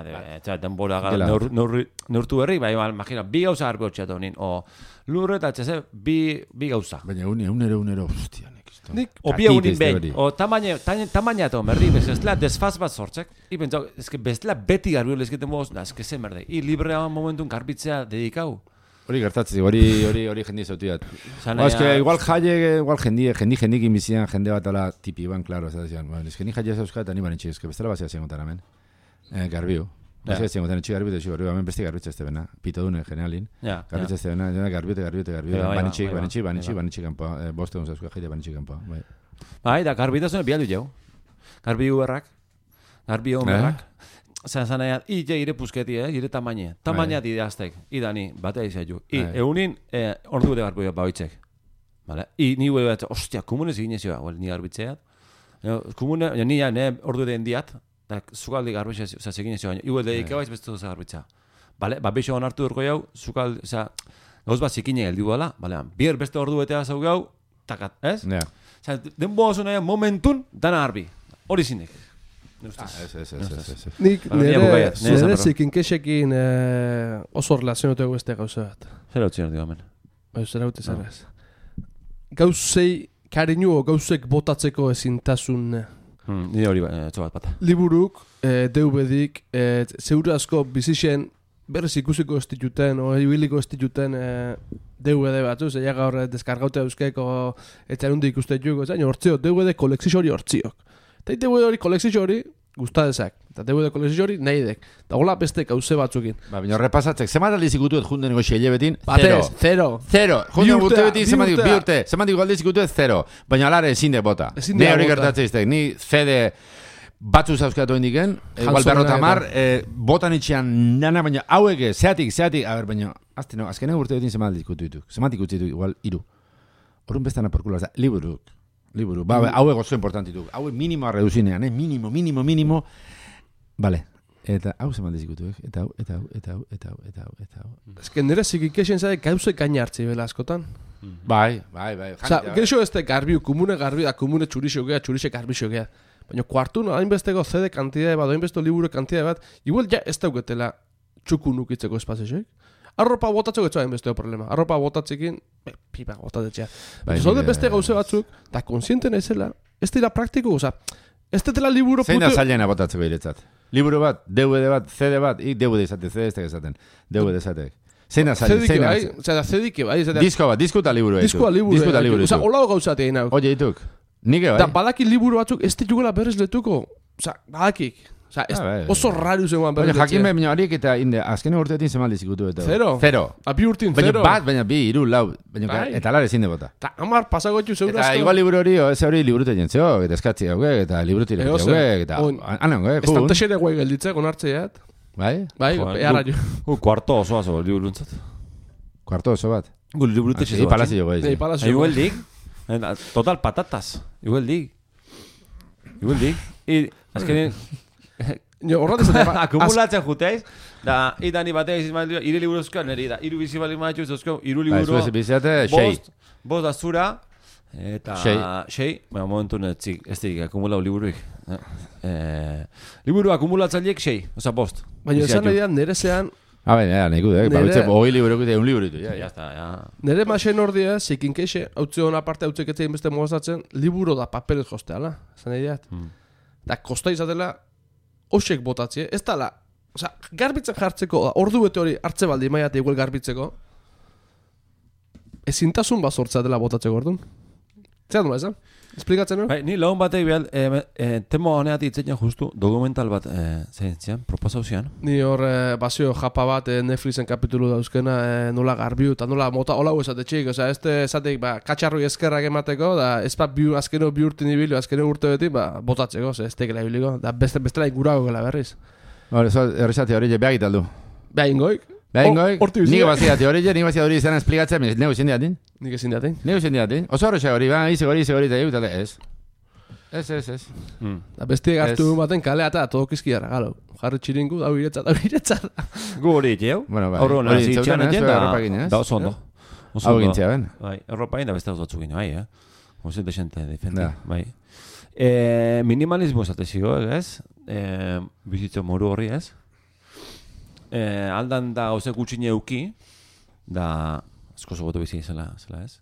denbora neurtu berri, bai, imagina, bi gauza garbi hotxeatu nin, o lurre eta txese, bi gauza. Baina unero, hostia, O bi egunin behin, o tamaina eta berri, bestela desfaz bat sortzek, i pentsa, eske bestela beti garbi lezketen boz, eske zen berde, i librea momentun garbitzea dedikau. Hori gertatzen, hori jendi zautiat. Eske, igual jendikin bizian, jende bat ala tipi ban, klaro, ez da zian. Eske ni jaia zauzka eta ni banitxik, eske bestela bazia ziengotan hemen. Garbiu. Bazia ziengotan, etxik garbiu, hemen besti garbitza ez bena. Pito dune, generalin. Garbitza ez bena, garbiu. Banitxik kanpoa. Boste dun zauzka, jaite banitxik kanpoa. Bai, da garbitazune bialdu jau. Garbiu berrak. Garbiu berrak. Zanea, ire pusketi, ire tamaina. Tamaina dideaztek. Idani, batea izaitu. Egunin, ordu gure garbiua baoitzek. Ni hue bat, ostia, kumunez ginezioa, ni garbitzeat. Kumune, ni ordu den diat, da zukaldi garbitzea, zase ginezioa. Iue dedika baiz beste duza garbitza. Beixo onartu durko jau, zukaldi, gauz bat zikine geldi duela, bier beste ordu betea zau gau, takat, ez? Denbo oso nahi, momentun, dana garbi. Hori zinek. Nik nire zikinkesekin oso relazionatu beste gauza bat. Zer hau txiner digamen? Zer hau tezarez. Gauzei kariñu o gauzek botatzeko ezintasun. Nire hori txobat bat. Liburuk, DVD-dik, zeure asko bizixen berrez ikusiko ez dituten o ibiliko ez dituten DVD batzu, zeia gaur deskargaute euskeko etxarundi ikuste juko, zain hortzio, DVD kolekzio hori hortziok. Eta DVD hori kolekzio hori gustadezak. Eta DVD kolekzio hori nahi dek. Eta hola beste gauze batzukin. Baina horrepasatzek, zemat aldiz ikutuet jundeneko xeile betin? Zero. Jundeneko urte betin, bi urte. Zematiko aldiz ikutuet, zero. Baina alare ezin de bota. Ne hori gertatzen iztek. Ni CD batzu zauzkatu indiken, igual berrotamar, botan itxean nana, baina haueke, zeatik, a ber, baina, azkenean urte betin zemat aldiz ikutuetuk. Zemat ikutuetuk, igual, 3. Horren bestana porkula, Liburu, hauek oso importantituk. Hauek minimoa reduzinean, minimo. Vale. Eta hau zeman dizikutu, eta hau. Ez que nire zikikexen zade gauze gaina hartzi bela askotan. Bai. Osa, gero ez da garbiu, komune txurixe garbixo gea. Baina kuartun, hainbesteko CD kantidade bat, hainbesto liburu kantidade bat, igual ja ez dauketela txuku nukitzeko espazioek. Arropa botatzeko ez hain besteo problema. Arropa botatzekin, pipa botatzea. Zaude beste gauze batzuk, eta konsienten ezela, ez dira praktiko, oza, ez dela liburu putu... Zein da zailena botatzeko iretzat? Liburu bat, DVD bat, CD bat, DVD izate, CD ez tegezaten, DVD ezatek. Zein da zailena? CD-ke bai. Disko bat, disko eta liburu. Oza, hola gauzate egin hau. Oye, dituk, nike bai. Da badaki liburu batzuk, ez ditugela berrez letuko. Oza, badakik. Osa, oso raro zegoan berri. Jakin behar horiek eta azkene urteetin zemaldiz ikutu eta. Zero. Abi urtin, zero. Baina bi, 2, 4. Eta alare zinde bota. Eta hamar pasagotxu zeur asko. Eta igual liburu hori, ez hori liburute jentzeo, eta eskatzi hauek, eta liburute hauek, eta anan hauek. Ez tante xere guai gelditzek, onartzeat. Bai? Eharra jo. Kuarto osoa zo, liburuntzat. Kuarto oso bat? Liburute xezo bat. Palazio guai. Igual dig. Total patatas. Igual dig. I azkenean... Akumulatzen juteiz, da idani batea izan ire liburu euskal neri da. Iru bizi bali maitxu euskal, iru liburu... Bost da zura, eta... Sei. Baina momentu ez dik akumulau liburuik. Liburu akumulatzaileek 6, oza bost. Baina esan nahi da, nire zean... nahi gude, babitzen, hoi liburuk eta un liburitu. Nire masen ordia, zikin keixe, hautze hona parte hautzeketzen beste mogazatzen, liburu da papelez josteala, zan nahi diat. Da, kosta izatela, osek botatzie, ez tala, oza, garbitzen jartzeko, ordu bete hori hartze baldi maiate igual garbitzeko, ezintasun bat sortzea dela botatzeko orduan. Zer dula, esan? Esplikatzen hori? Bai, ni lagun batek behal, temo honeat itzetan justu dokumental bat zein proposau zian. Ni hor basio japa bat Netflixen kapitulu dauzkena nola garbiu eta nola mota hola esate txik, oza, esatek katxarroi eskerrak emateko, da ez bat azkeno bi urte nibilu, azkeno urte beti, botatzeko, ez tekela ibiliko, da bestela ingurago gela berriz. Errezate hori beagit aldu. Beagingoik. Nik baziat hori izan esplikatzen, nego ezin diatin. Nik ezin diatin. Nego ezin diatin. Oso horrexe hori, ize hori, eta ez. Ez. Da bestiek hartu baten kalea eta todokizkiara, galo. Jarri txiringu, dau iretzat. Gu hori itxeu. Bueno, bai. Horro nazi itxean egin da oso ondo. Hau gintzea, ben? Bai, Europain da beste oso gino, bai, Oso gente defendi, bai. Minimalismo esatezio, ez? Bizitzo moru horri, ez? Aldan da gauze gutxine euki, da asko zogotu bizi zela, ez?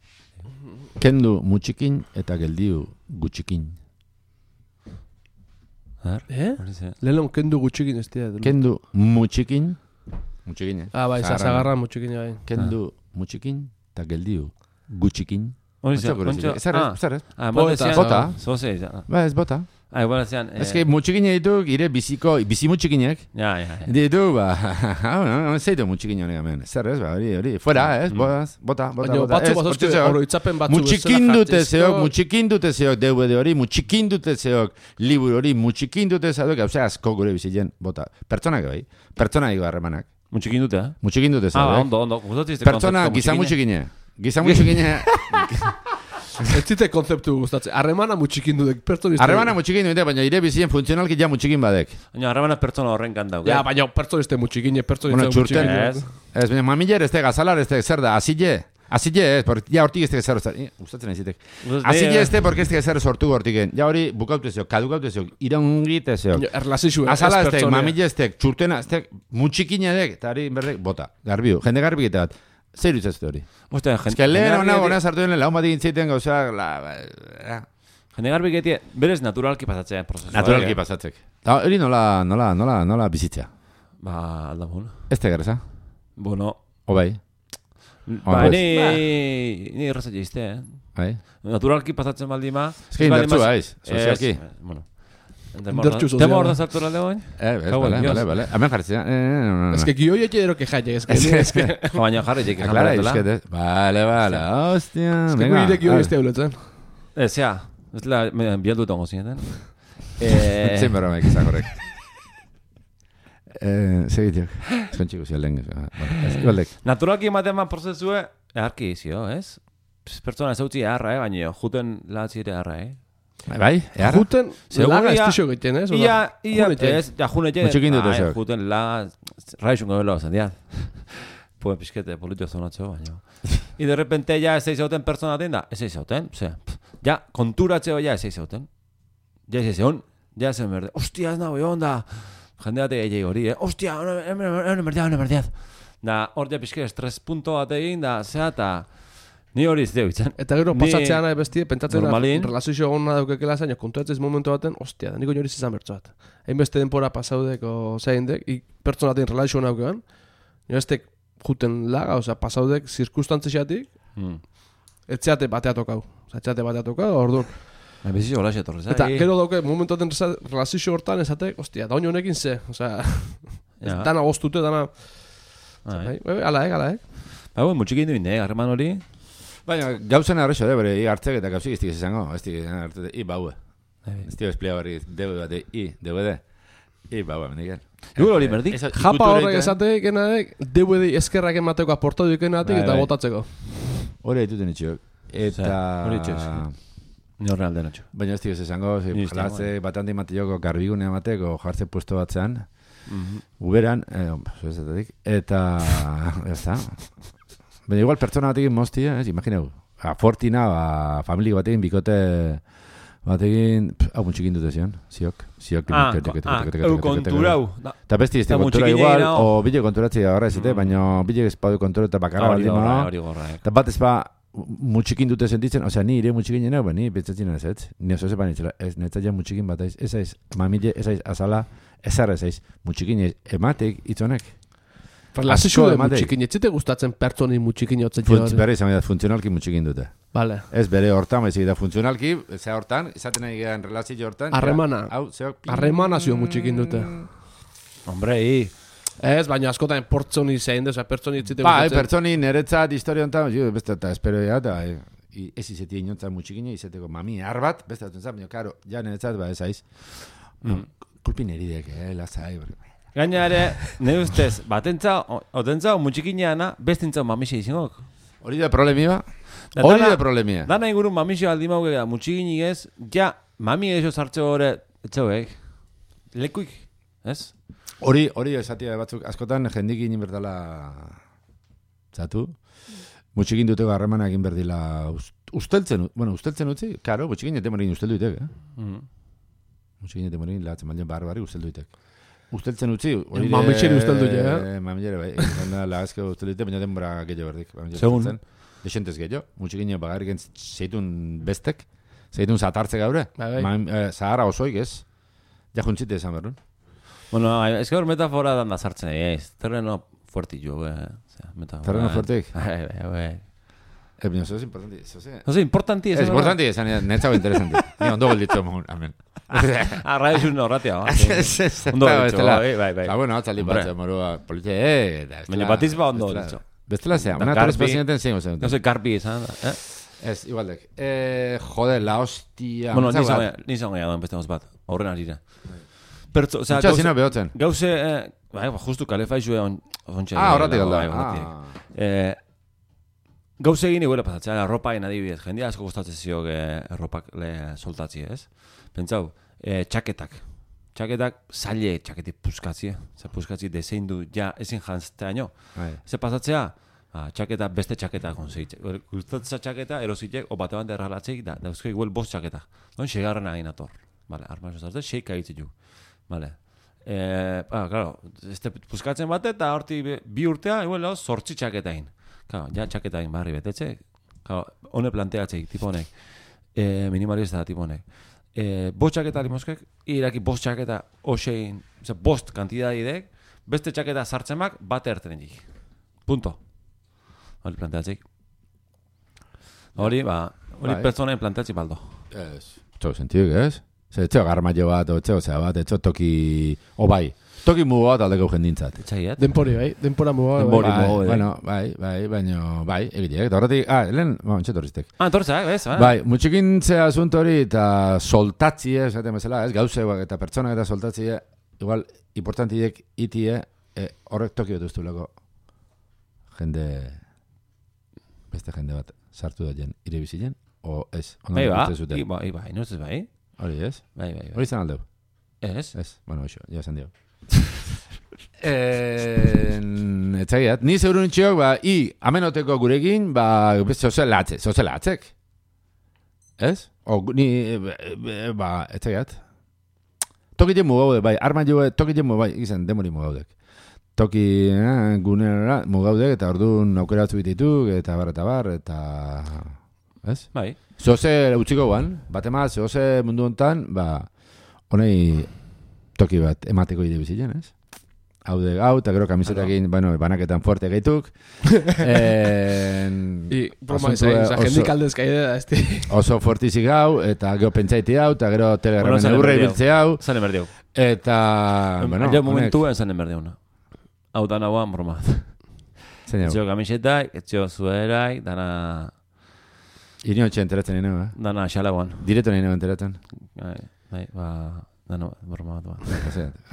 Kendu mutxikin eta geldiu gutxikin. Lehon kendu gutxikin ez dira. Kendu mutxikin. Mutxikin, bai, zagarra mutxikin, bai. Kendu mutxikin eta geldiu gutxikin. Zer ez? Bota. Zozei, Ba, ez bota. Igual zean... Ez que mutxikine ditu, gire bizi mutxikinek. Ja. Ditu, zeitu mutxikin honek hemen. Zer ez, hori. Fuera, ez, bota. Baina batzu bazozke oroitzapen batzu. Mutxikin dute zeok DVD hori, mutxikin dute zeok liburu hori, mutxikin dute zeok, gauze asko gure bizien, bota. Pertsonak bai, pertsonak ego harremanak. Mutxikin dute, eh? Mutxikin dute zeok. Ondo. Pertsona giza mutxikine. Ez zite konzeptu gustatzen. Harremana mutxikin dudek pertsonista. Harremana mutxikin dudek, baina ire bizien funtzionalki ja mutxikin badek. Baina harremana pertsona horren kandau. Ja, baina pertsoniste mutxikin, pertsoniste mutxikin. Ez, baina mamiller ez gazalar ez zer da, azile ez, ja hortik ez zer gustatzen ezitek. Azile ez porque ez zer sortu hortiken. Ja hori bukautu ezio, kadukautu ezio, iraungit ezio. Azala ez mamiller ez txurtena ez mutxikin edek, eta hori berdek, bota, garbiu, jende garbiketa bat. Zer utzazte hori? Ez que lehen hona sartu den laun bat egin zeiten gauzak... Jende garbiketie, berez naturalki pasatzea prozesu. Naturalki pasatzek. Hori nola bizitzea? Ba, aldamun. Ez te gareza? Bueno. Obai. Ba, ni errazat jizte, Bai. Naturalki pasatzen baldima... Ez que indartzu haiz, sozialki. Bueno. Tema hor da sartu alde goin? Bale. Hemen jartzea. Ez que gio jeke ero que jaile, ez que... Baina jarri jeke janbaratela. Bale, hostia. Ez que guire gio este hauletzen. Ez la bialdu tongo zineten. Zein berra maik izan horrek. Segitiok. Eskontxiko zialden. Naturalki ematen prozesue, eharki izio, ez? Pertsona ez hautzi eharra, baina juten latzire eharra, Bai, eharra? Juten laga estixo egiten, ez? Ia, ez, ja, junete. Mutxikin dut ezak. Juten la, raixun gabela zen, diat. Pues pixkete, politio zonatxo, baina. I de repente ja ez eizauten pertsona da, ez eizauten, ja, konturatzeo ja ez eizauten. Ja ez eizauten, ja ez berde. Ostia, ez nago, onda. Jendeate egei hori, Ostia, hone merdiat. Da, hor ja pixke estres punto bat egin, da, eta... Ni hori ez deu itzen. Eta gero pasatzean bestie, pentsatzen relazio egona daukekela zaino, konturatzez momentu baten, ostia, da niko hori izan bertso bat. Hainbeste denpora pasaudeko zeindek, pertsonaten relazio egona daukean, nire estek juten laga, pasaudek zirkustantzesiatik, etxeate batea tokau. Orduan. Bezizio hola xetorrez. Eta gero dauke, momentu baten relazio hortan esatek, ostia, da oin honekin ze, dana goztute, dana... Ala. Ba, mutxikin duin, harreman hori... Baina, gauzen arrexo, bere, hartzek eta gauzik ez dikez izango, ez dikez hartzek, baue. Ez dikez esplia barri, DVD. Baue, mendiken. Dugu hori berdik? Japa horrek esatek, DVD eskerrak emateko aportau dukenatik eta botatzeko. Hori haituten itxok. Eta... Hori itxok. Ni horre alde notxo. Baina ez dikez izango, jartze batante imateko garbigune amateko jartze puesto batzean. Uberan, eta... Ez da... Baina igual pertsona batekin moztia, imagineu. Fortina, familia batekin, bikote batekin... Hau mutxikin dute zion, ziok. Konturau. Eta besti izte kontura igual, o bile konturatzi agarra ezite, baina bile espadu kontura eta bakarra baldin mono. Eta bat ez ba mutxikin dute sentitzen, osea, ni ire mutxikin jeneu, ni pentsatzen ez. Ni oso zepan itzela, ez netzat ja mutxikin bat aiz. Ez aiz, mamile, ez aiz, azala, ez arra ez aiz. Mutxikin ematek, itzonek. Relazio de mutxikin, ez zite gustatzen pertsoni mutxikin jotzen joan. Bere izan da, funtzionalki mutxikin dute. Vale. Ez bere hortan, baizik da funtzionalki, ze hortan, izaten nahi gehan relazio hortan. Arremana zio mutxikin dute. Hombre, Ez, baina askotan pertsoni zein desa, pertsoni ez zite gustatzen. Pertsoni niretzat historia honetan, beste eta espero eta ez izetia inotzat mutxikin, izeteko mami arbat, beste atzen zan, baina karo, ja niretzat, ez aiz. Kulpin eridek, lazai, Gaina ere, ne ustez, otentza, mutxikineana, bestintzau mamixe izingok. Hori da problemia? Hori da problemia. Dana ingurun mamixe aldi mauke da, mutxikinik ez, ja, mami eso sartze gore, etxauek, lekuik, ez? Hori esatia batzuk, askotan jendikin inbertala zatu. Mutxikin duteko harremana egin berdila usteltzen utzi, karo, mutxikin ete morin usteldu itek, Mutxikin ete morin lahatzen maldion barbari usteldu itek. Usteltzen utzi, hori Mamixeri usteldu ja, Mamixeri, bai, zena lahazke usteldu itek, baina denbora gehiago berdik. Segun. Desentez gehiago, mutxikin bagarrik zeitun bestek, zeitun zatartze gaure, zahara osoik ez, ja juntzite esan berrun. Bueno, es que hor metafora dan da sartzen, terreno fuertillo, Terreno fuertik? Bai. Baina, eso es importante. Eso es importante. Es importante, netzago interesante. Ni ondo golditzu emun, amen. Radio xun horratia, Ondo golditzu, bai. Bueno, atzaldi batzu, morua, politia, baina batiz ba ondo golditzu. Bestela zea, una tres presidenten zein gozen. No sé, Garbi izan, Ez, igualdek. Joder, la hostia. Bueno, ni zon gehiago enpestemos bat, horren arira. Mucha zina behotzen. Gauze, justu kalefaixue ontxe. Horratik alda. Gauze egin iguela pasatzea, arropa egin adibidez. Jendia asko gustatzen ziok erropak soltatzi, ez? Pentsau, txaketak. Txaketak, zaile txaketik puskatzi. Puskatzi dezein du, ja, ezin jantzteaino. Ze pasatzea, txaketa, beste txaketa konzeit. Gustatzea txaketa, erositek, o bate bante erralatzeik, da eusko igual bost txaketa. Don, segarren agin ator. Vale, armazo zartzen, seik agitzen ju. Vale. Claro, puskatzen bate, eta horti bi urtea, igual, zortzi txaketa egin. Claro, ja txaketa egin barri betetxe. Claro, hone planteatzeik, tipo honek. Minimalista tipo honek. Bost txaketa limoskek, iraki bost txaketa osein, bost kantidadidek, beste txaketa sartzemak bate ertenen jik. Punto. Hori planteatzeik. Hori pertsonen planteatzi baldo. Txo, sentiuk, ez? Etxeo garmaio bat, etxeo zea bat, etxeo toki... Obai, toki mugu bat aldeko jendintzat. Etxaiat? Denpori, bai, denpora mugu. Bueno, bai, egitek. Eta horretik, entxetorriztek. Entortzak, bez? Bai, mutxikintzea asunto hori eta soltatzie, esaten bezala, ez, gauzeuak eta pertsonak eta soltatzie, igual, importantiek itie, horrek toki dut ustuleko beste jende bat sartu da jen, ire bizilen, o ez? Bai, no ez bai? Hori ez? Bai. Hori izan aldeu? Ez? Bueno, hoxo, ja esan dio. Etxaiat, ni zeurun itxiok, amenoteko gurekin, zozelatzek. Ez? Ni, etxaiat. Tokiten mugaude, bai, arma joe, tokiten mugaude, izan, demori mugaudek. Toki gunera mugaudek, eta orduan aukeratzu bitituk, eta bar, ez? Bai. Zoze utziko guan, bat emaz, zoze mundu hontan, honei toki bat emateko ide bizien, ez? Haude gau, eta gero kamisetakin, banaketan fuerte gaituk. Broma izan, jendik aldezka idea, ez? Oso fuertizik gau, eta gero pentsaiti hau, eta gero telegramen eurre ibiltze hau. Zanen berdiau. Eta, jo momentuen zanen berdiau, no? Hau dana guan, broma. Etxeo kamisetak, etxeo zuerak, dana... Irio etxe enteratzen nire, Dana, xala guan. Direto nire enteratzen. Dana, broma bat.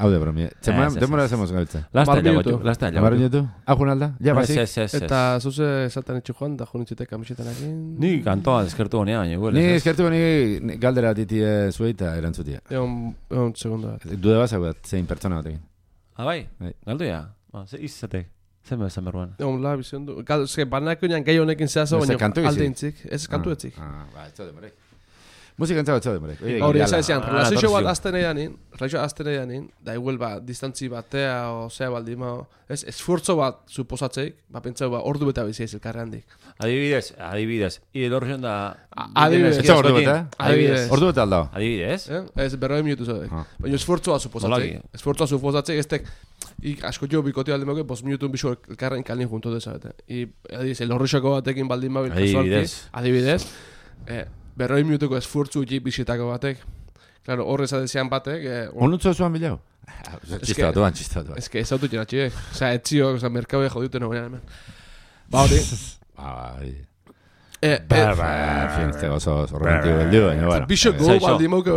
Hau de bromi. Demora hacemos gaitza. Lasta ya. Amar minutu. Ajun alda? Ja, basik. Eta zuze esaltan etxu joan, da junitzutek kamisetanekin. Ni kantoa eskertu honea, baina igual. Ni eskertu honi galdera ditie zueita erantzutia. Egon segundo bat. Dude bazak bat, zein pertsona batekin. Bai? Galdu ya? Ze izatek. Zen bezan berruan. Egon la bizion du. Banako nian gehi honekin zehazo, baina alde intzik. Ez kantu etzik. Ez txode morek. Musika entzago txode morek. Hori ez aizian, relazio bat azten edanin, da igual distantzi batea, o zea baldima, esfuerzo bat suposatzeik, pentsau ordu beta biziaiz elkarre handik. Adibidez. Ide horrezen da... Adibidez. Etxa ordu beta? Ordu beta aldao? Adibidez. Ez 40 minutu zodek. Baina esfuerzoa suposatzeik. Esfuerzoa suposatzeik, estek... asko jo bikote alde moke, 5 minutun bisu elkarren kalin junto dezabete. El horrexako batekin baldin mabil kasualki. Adibidez. 40 minutuko esfuertzu utzi bisitako batek. Claro, horrez adezian batek... Onutzo zuan bilau? Txista batuan. Ez que ez autu txeratxe, etzio, merkabea jodiuten hori hemen. Hori. Fin, este oso romantico beldu, baina, bueno. Bixo go baldin moke,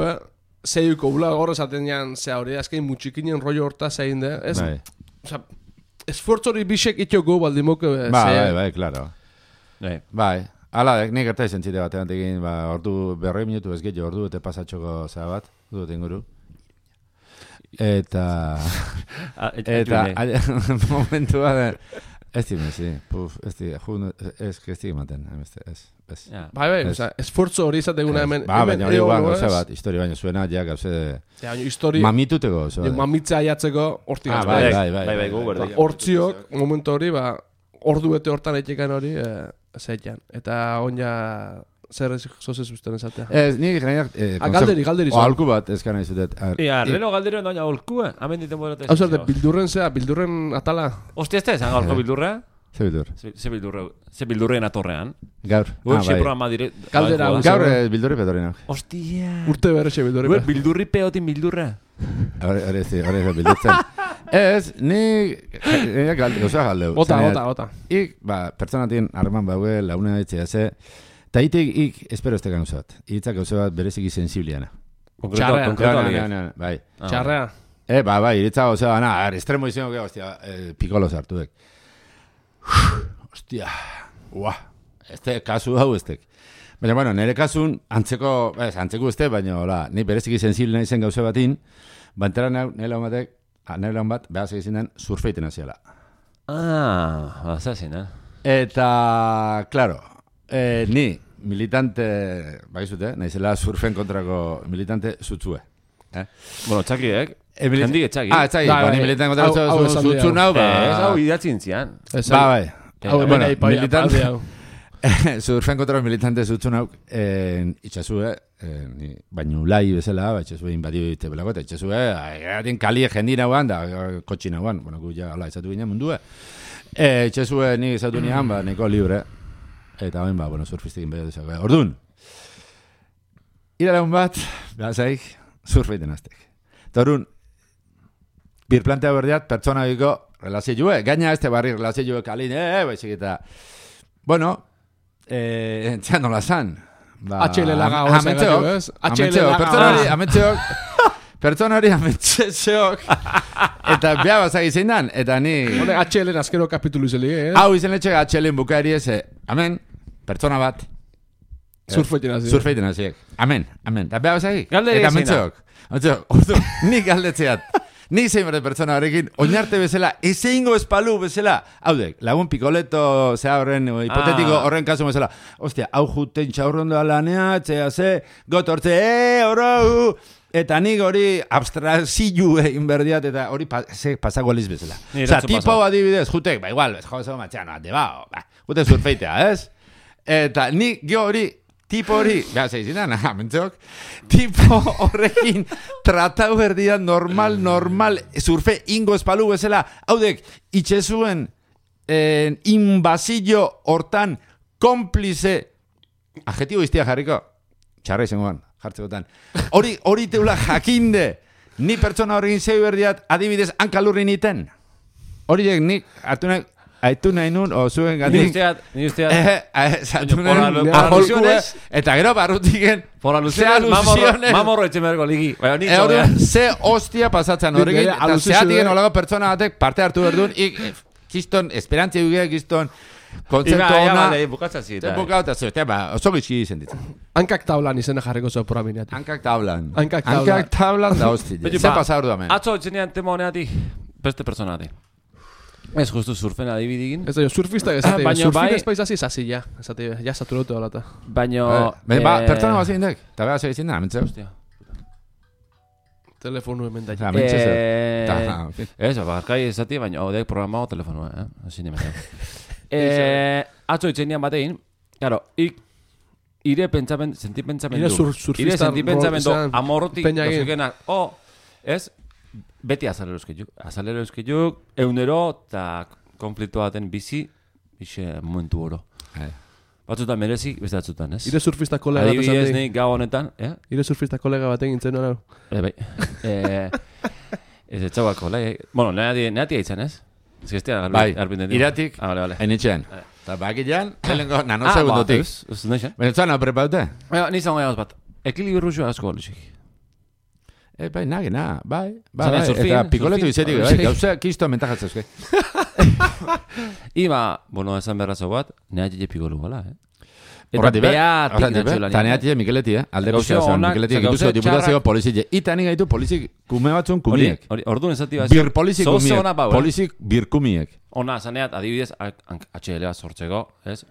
zeiuko ula gorra esaten jan, zea hori, azkein mutxikinen rollo horta zein de, ez? Osa, esfortzo hori bisek itxoko baldimok... Bai, klaro. Bai, ala, nik gerta izan zite batean tekin, ordu 40 minutu ez gehiago, ordu eta pasatxoko zea bat, dut inguru. Eta momentua da, ez di ematen, ez. Bai, esfortzo hori izateguna hemen. Baina hori gauza bat, historia baina zuena, ja gauze mamituteko. Mamitza aiatzeko, hortik Bai, hortziok, momentu hori, ordu bete hortan eitzekan hori, zeitan. Eta onja... Zer zoze zuzten esatea? Ez, nik generak... Galderi zuen. Aholku bat, ez gana izutet. Reno galderi doina aholkua. Hemen diten bodate. Hau zer, bildurren zea, bildurren atala. Ostia, ez da esan gaurko bildurra? Ze bildurren atorrean. Gaur. Uexi programa dire... Galdera. Gaur bildurri petorrenak. Ostia. Urte berrexe bildurri pe. Bildurri peotin bildurra. Hore ez bildurtzen. Ez, nik... Gauza galdeu. Ota. Ik, pertsonatin harreman baue, launea ditzea ze... Ta ik espero este gauzat. Itzak gauza bat bereziki sensibliana. Konkreto. Bai. Txarrea. Bai, iritza gauza bana, estremo izango que, hostia, pikolo sartu dek. Hostia. Este kasu hau estek. Baina, bueno, nire kasun antzeko este, baina, hola, ni bereziki sensiblena izen gauza batin, bantera nire lan bat, behaz egizien den, surfeiten aziala. Azazin, Eta, claro, ni militante, bakizute, naizela surfen kontrako militante zutzue. Bueno, txakiek. Hendik etxaki. Etxaki, ni militante kontrako zutzu nau, ez hau idatzin zian. Bai. Bueno, militante. Surfen kontrako militante zutzu nau, itxasue, baino lai bezala, itxasue inbadio ite belako, eta itxasue, egin kalie jendin hauan, da kotxin hauan, bueno, gu ja, ala, izatu ginen mundue. Itxasue nik izatu nian, niko libre. Eta hain bueno, surfistekin behar duzak. Orduan, iralaun bat, behazaik, surfeiten aztek. Eta orduan, birplantea berdiat, pertsona biko relazioa, gaina este barri relazioa kalin, baizik eta, bueno, entzean nola zan. HL laga hori zagatik, ez? HL laga pertsonari ametxeok eta beha bazak izan dan, eta ni... Hone HL-en azkero kapitulu izeli, eh? Hau izan letxek HL-en bukaeri eze, amen, pertsona bat. Surfeiten hasi. Surfeiten hasi. Amen. Eta beha bazak galderi eta ametxeok. Ordu, nik galdetzeat. Nik zein berde pertsona horrekin, oinarte bezala, ezeingo espalu bezala. Haudek, lagun pikoleto, zea horren, hipotetiko horren kasu bezala. Ostia, hau juten txaurrondo alanea, txea ze, gotortze, oro, eta nik hori abstrazio egin berdiat, eta hori pasako aliz bezala. Osa, tipo adibidez, jutek, igual, jo, zego matxean, jute surfeitea, ez? Eta nik hori, tipo hori, beha zeizinan, mentzok, tipo horrekin tratau berdian normal, surfe ingo espalu bezala, haudek, itxezuen inbasillo hortan komplize, adjetibo iztia jarriko, txarra izangoan, jartzekotan, hori teula jakinde, ni pertsona horrekin zeu berdiat, adibidez, hankalurri niten. Horiek nik, aitu nahi nun, o zuen gatik. Ni usteat. Zatu nahi aholkuez, eta gero barrutiken. Por alusiones, mamorro etxemergo ligi. Ze hostia pasatzen horrekin, eta zeatiken olago pertsona batek parte hartu berdun, kiston, esperantzia dugu kiston, konzeptu ona. Bukatzazit. Bukatzazit, oso gizki izen ditzen. Hankak tablan izena jarriko zuen proraminati. Hankak tablan. Hankak tablan da hosti. Ze pasa ordu hemen. Atzo etxenean tema honeati, beste personati. Ez justu surfen adibidigin. Ez da, surfista ezate, surfin espaiz hasi zasi, ja. Ezate, ja saturatu alata. Baina... Pertsona bat zein dek, eta beha zein da, mentzea. Hostia. Telefonu hemen da. Ez, barkai ezati, baina odek programao telefonua, Asi nimetan. Atzo itxenean batein, claro, ire sentipentsamendu. Ire sentipentsamendu amorrotik, ez? Beti azalero euskiduk, eunero eta konflikto baten bizi momentu oro. Batzutan merezi, beste batzutan, ez? Ire surfista kolega bat adibidez nik gau honetan, Ire surfista kolega bat egin zen hori. Bai. Ez etxauako, bueno, nehatia izan, ez? Ez gestia garbinten. Bai, iratik, hainitxean. Eta bakilean, helengo nanosegundotik. Ez neixen. Benetzen, hau prepaute? Nizan gaiagoz bat, ekilibru asko holisik. Bai, nagena, bai. Eta pikoletu izetik, bai, gauza kisto mentajatzen euske. Iba, bueno, esan berrazo bat, neatxe pikolu gala, Eta beatik natxolani. Ta neatxe Mikeleti, alde guztia zen, Mikeleti, gipuzko diputazio polizik. Ita nik gaitu polizik kume batzun kumiek. Orduan ezati bat. Bir polizik kumiek, polizik bir kumiek. Ona, zaneat, adibidez, HL bat sortzeko, ez?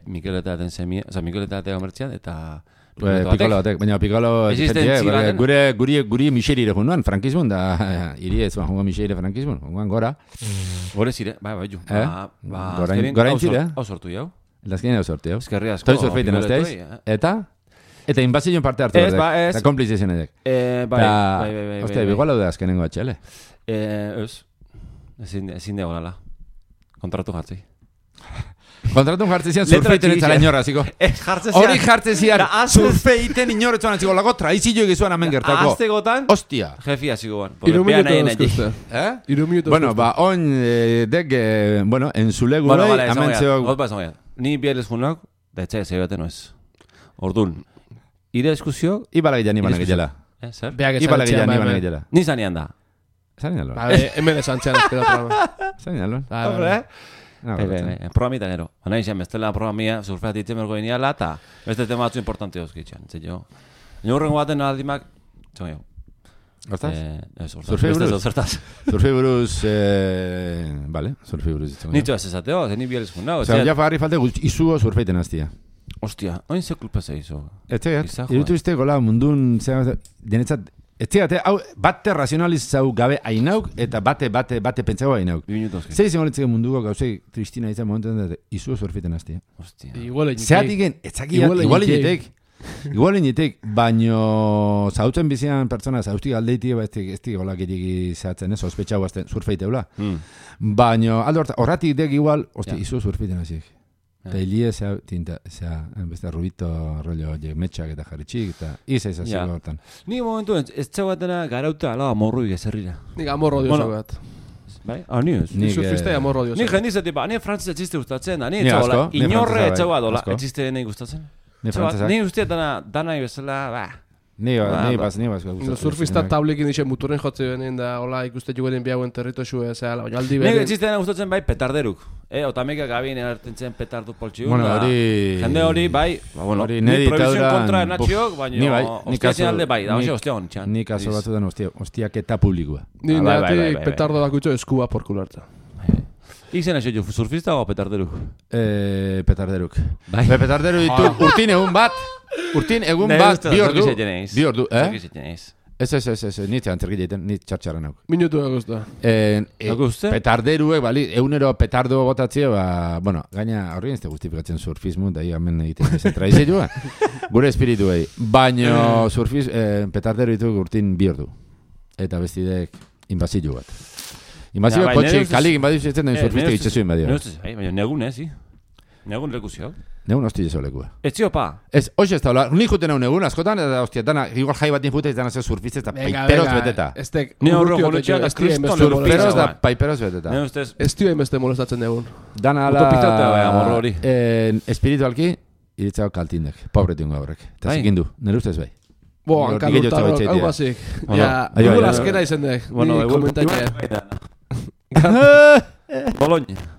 Mikeleta daten semie, oza, Mikeleta daten gamertzian, eta... Pikolo batek, baina pikolo guri miserire junduan, frankismun, da iri ez joango miserire frankismun, junduan gora. Gore zire, bai, ju. Gora intzire. Hau sortu jau. Lazkinen hau sortu jau. Eskerri asko. Toi surfeiten azteiz. Eta inbazioen parte hartu dut. Eta komplizizien edek. Bai. Ostia, bigual hau da azkenengo HL. Ezin dego gala. Kontratu jartzi. Kontratun jartzezian surfeiten etzara inorra, ziko. Hori jartzezian surfeiten inorretzuan, ziko. Lago traizillo egizuan amen gertako. Aztegotan, hostia. Jefia, ziko ban. 3 minutos eskuzte. Bueno, on dek, bueno, enzule gure, amentzeok. Ni bielez junak, da etxai zeibaten oez. Ordun, ire eskusio... Ibala gilean ibanak gilela. Zer? Ibala gilean ibanak gilela. Ni zanian da. Zanian lor. Hemen esantzean ezkeda programa. Zanian lor. Hombre, programita nero. Baina izan, bestela programia, surfeat ditzen bergo iniala, eta beste tema batzu importante dozkitxan. Zer jo. Horrengo baten aldimak, txon jo. Hortaz? Surfei buruz. Surfei buruz, vale, surfei buruz. Nitzo ez esateo, zeni bielez juna. Osa, ja fagarri falte izugo surfeiten aztia. Ostia, oin ze kulpa zeizo. Etxegat, irutu izte gola mundun, denetzat, etxegat, hau, bate razionalizau gabe ainauk, eta bate pentsago ainauk. Zer izan honetzeko munduko gauzei tristina izan momentan, izugo surfeiten aztia. Ostia. Zeatiken, igual inetek, baino zautzen bizian pertsona, zauztik aldeitik, ez dik olakitik zehatzen, sospetxau azten surfeiteula. Baino, horratik dek igual, izugo surfeiten azik. Eta hilie beste rubito rollo metxak eta jarritxik, eta izaiz aziko hortan. Ni momentu ez txauatena garauta ala amorru igezerrira. Nik amorro dioso bat. Bai? Ni ez. Ni surfiste amorro dioso. Ni jendiz etipa, ni frantzese txiste gustatzen da, ni etxagola, inorre etxagoa dola, etxiste nahi gustatzen. Ni uste dana ibezela, Ni bas. Surfista tablekin dixe muturen jotze benen da, hola ikuste juguen biauen territo xue, baina aldi beren. Nik etxiste dena gustatzen bai petarderuk. Otameka gabien erartentzen petardu poltxiun. Bueno, hori... Jende hori, bai, ni prohibizion kontra enatxiok, baina ostiatzen alde bai, da, ostia hontxan. Nik aso batu den ostiaketa publikoa. Ni neatik petardo bakutxo eskua porkularta. Izen aixo, surfista o petarderuk? Petarderuk. Petarderu ditu urtin egun bat, bi ordu, Ez, nit antzerki jaiten, nit txartxarra nauk. Minutu eguzta. Petarderuek, bali, egunero petardo botatzea, bueno, gaina horrien ez te justifikatzen surfismu, da higamen egiten ez traizioa, gure espirituei. Baina petarderu ditu urtin bi ordu. Eta bestidek inbazio bat. Inbazio kotxe, kalik inbazio zetzen den surfistek itxezu inbadio. Baina negun ez, negun lekuzio. Negun hosti jeso lekua. Ez zio pa? Ez, hoxe ez taula, nik juten egun egun askotan, eta hostia, dana, igual jai bat infute, ez dana zer surfiste, eta paiperoz beteta. Ni horro jonetxean, ez kriston surferoz da paiperoz beteta. Ez tio enbeste molestatzen egun. Dana ala... Utopizate bai, amorro hori. Espiritualki, iritzao kaltindek, pobretingo horrek. Eta zikindu, nire ustez bai. Bo, hankalutarok, hau bazik. Ja, igual azkena izendek. Bueno, komentaitea. Bologna.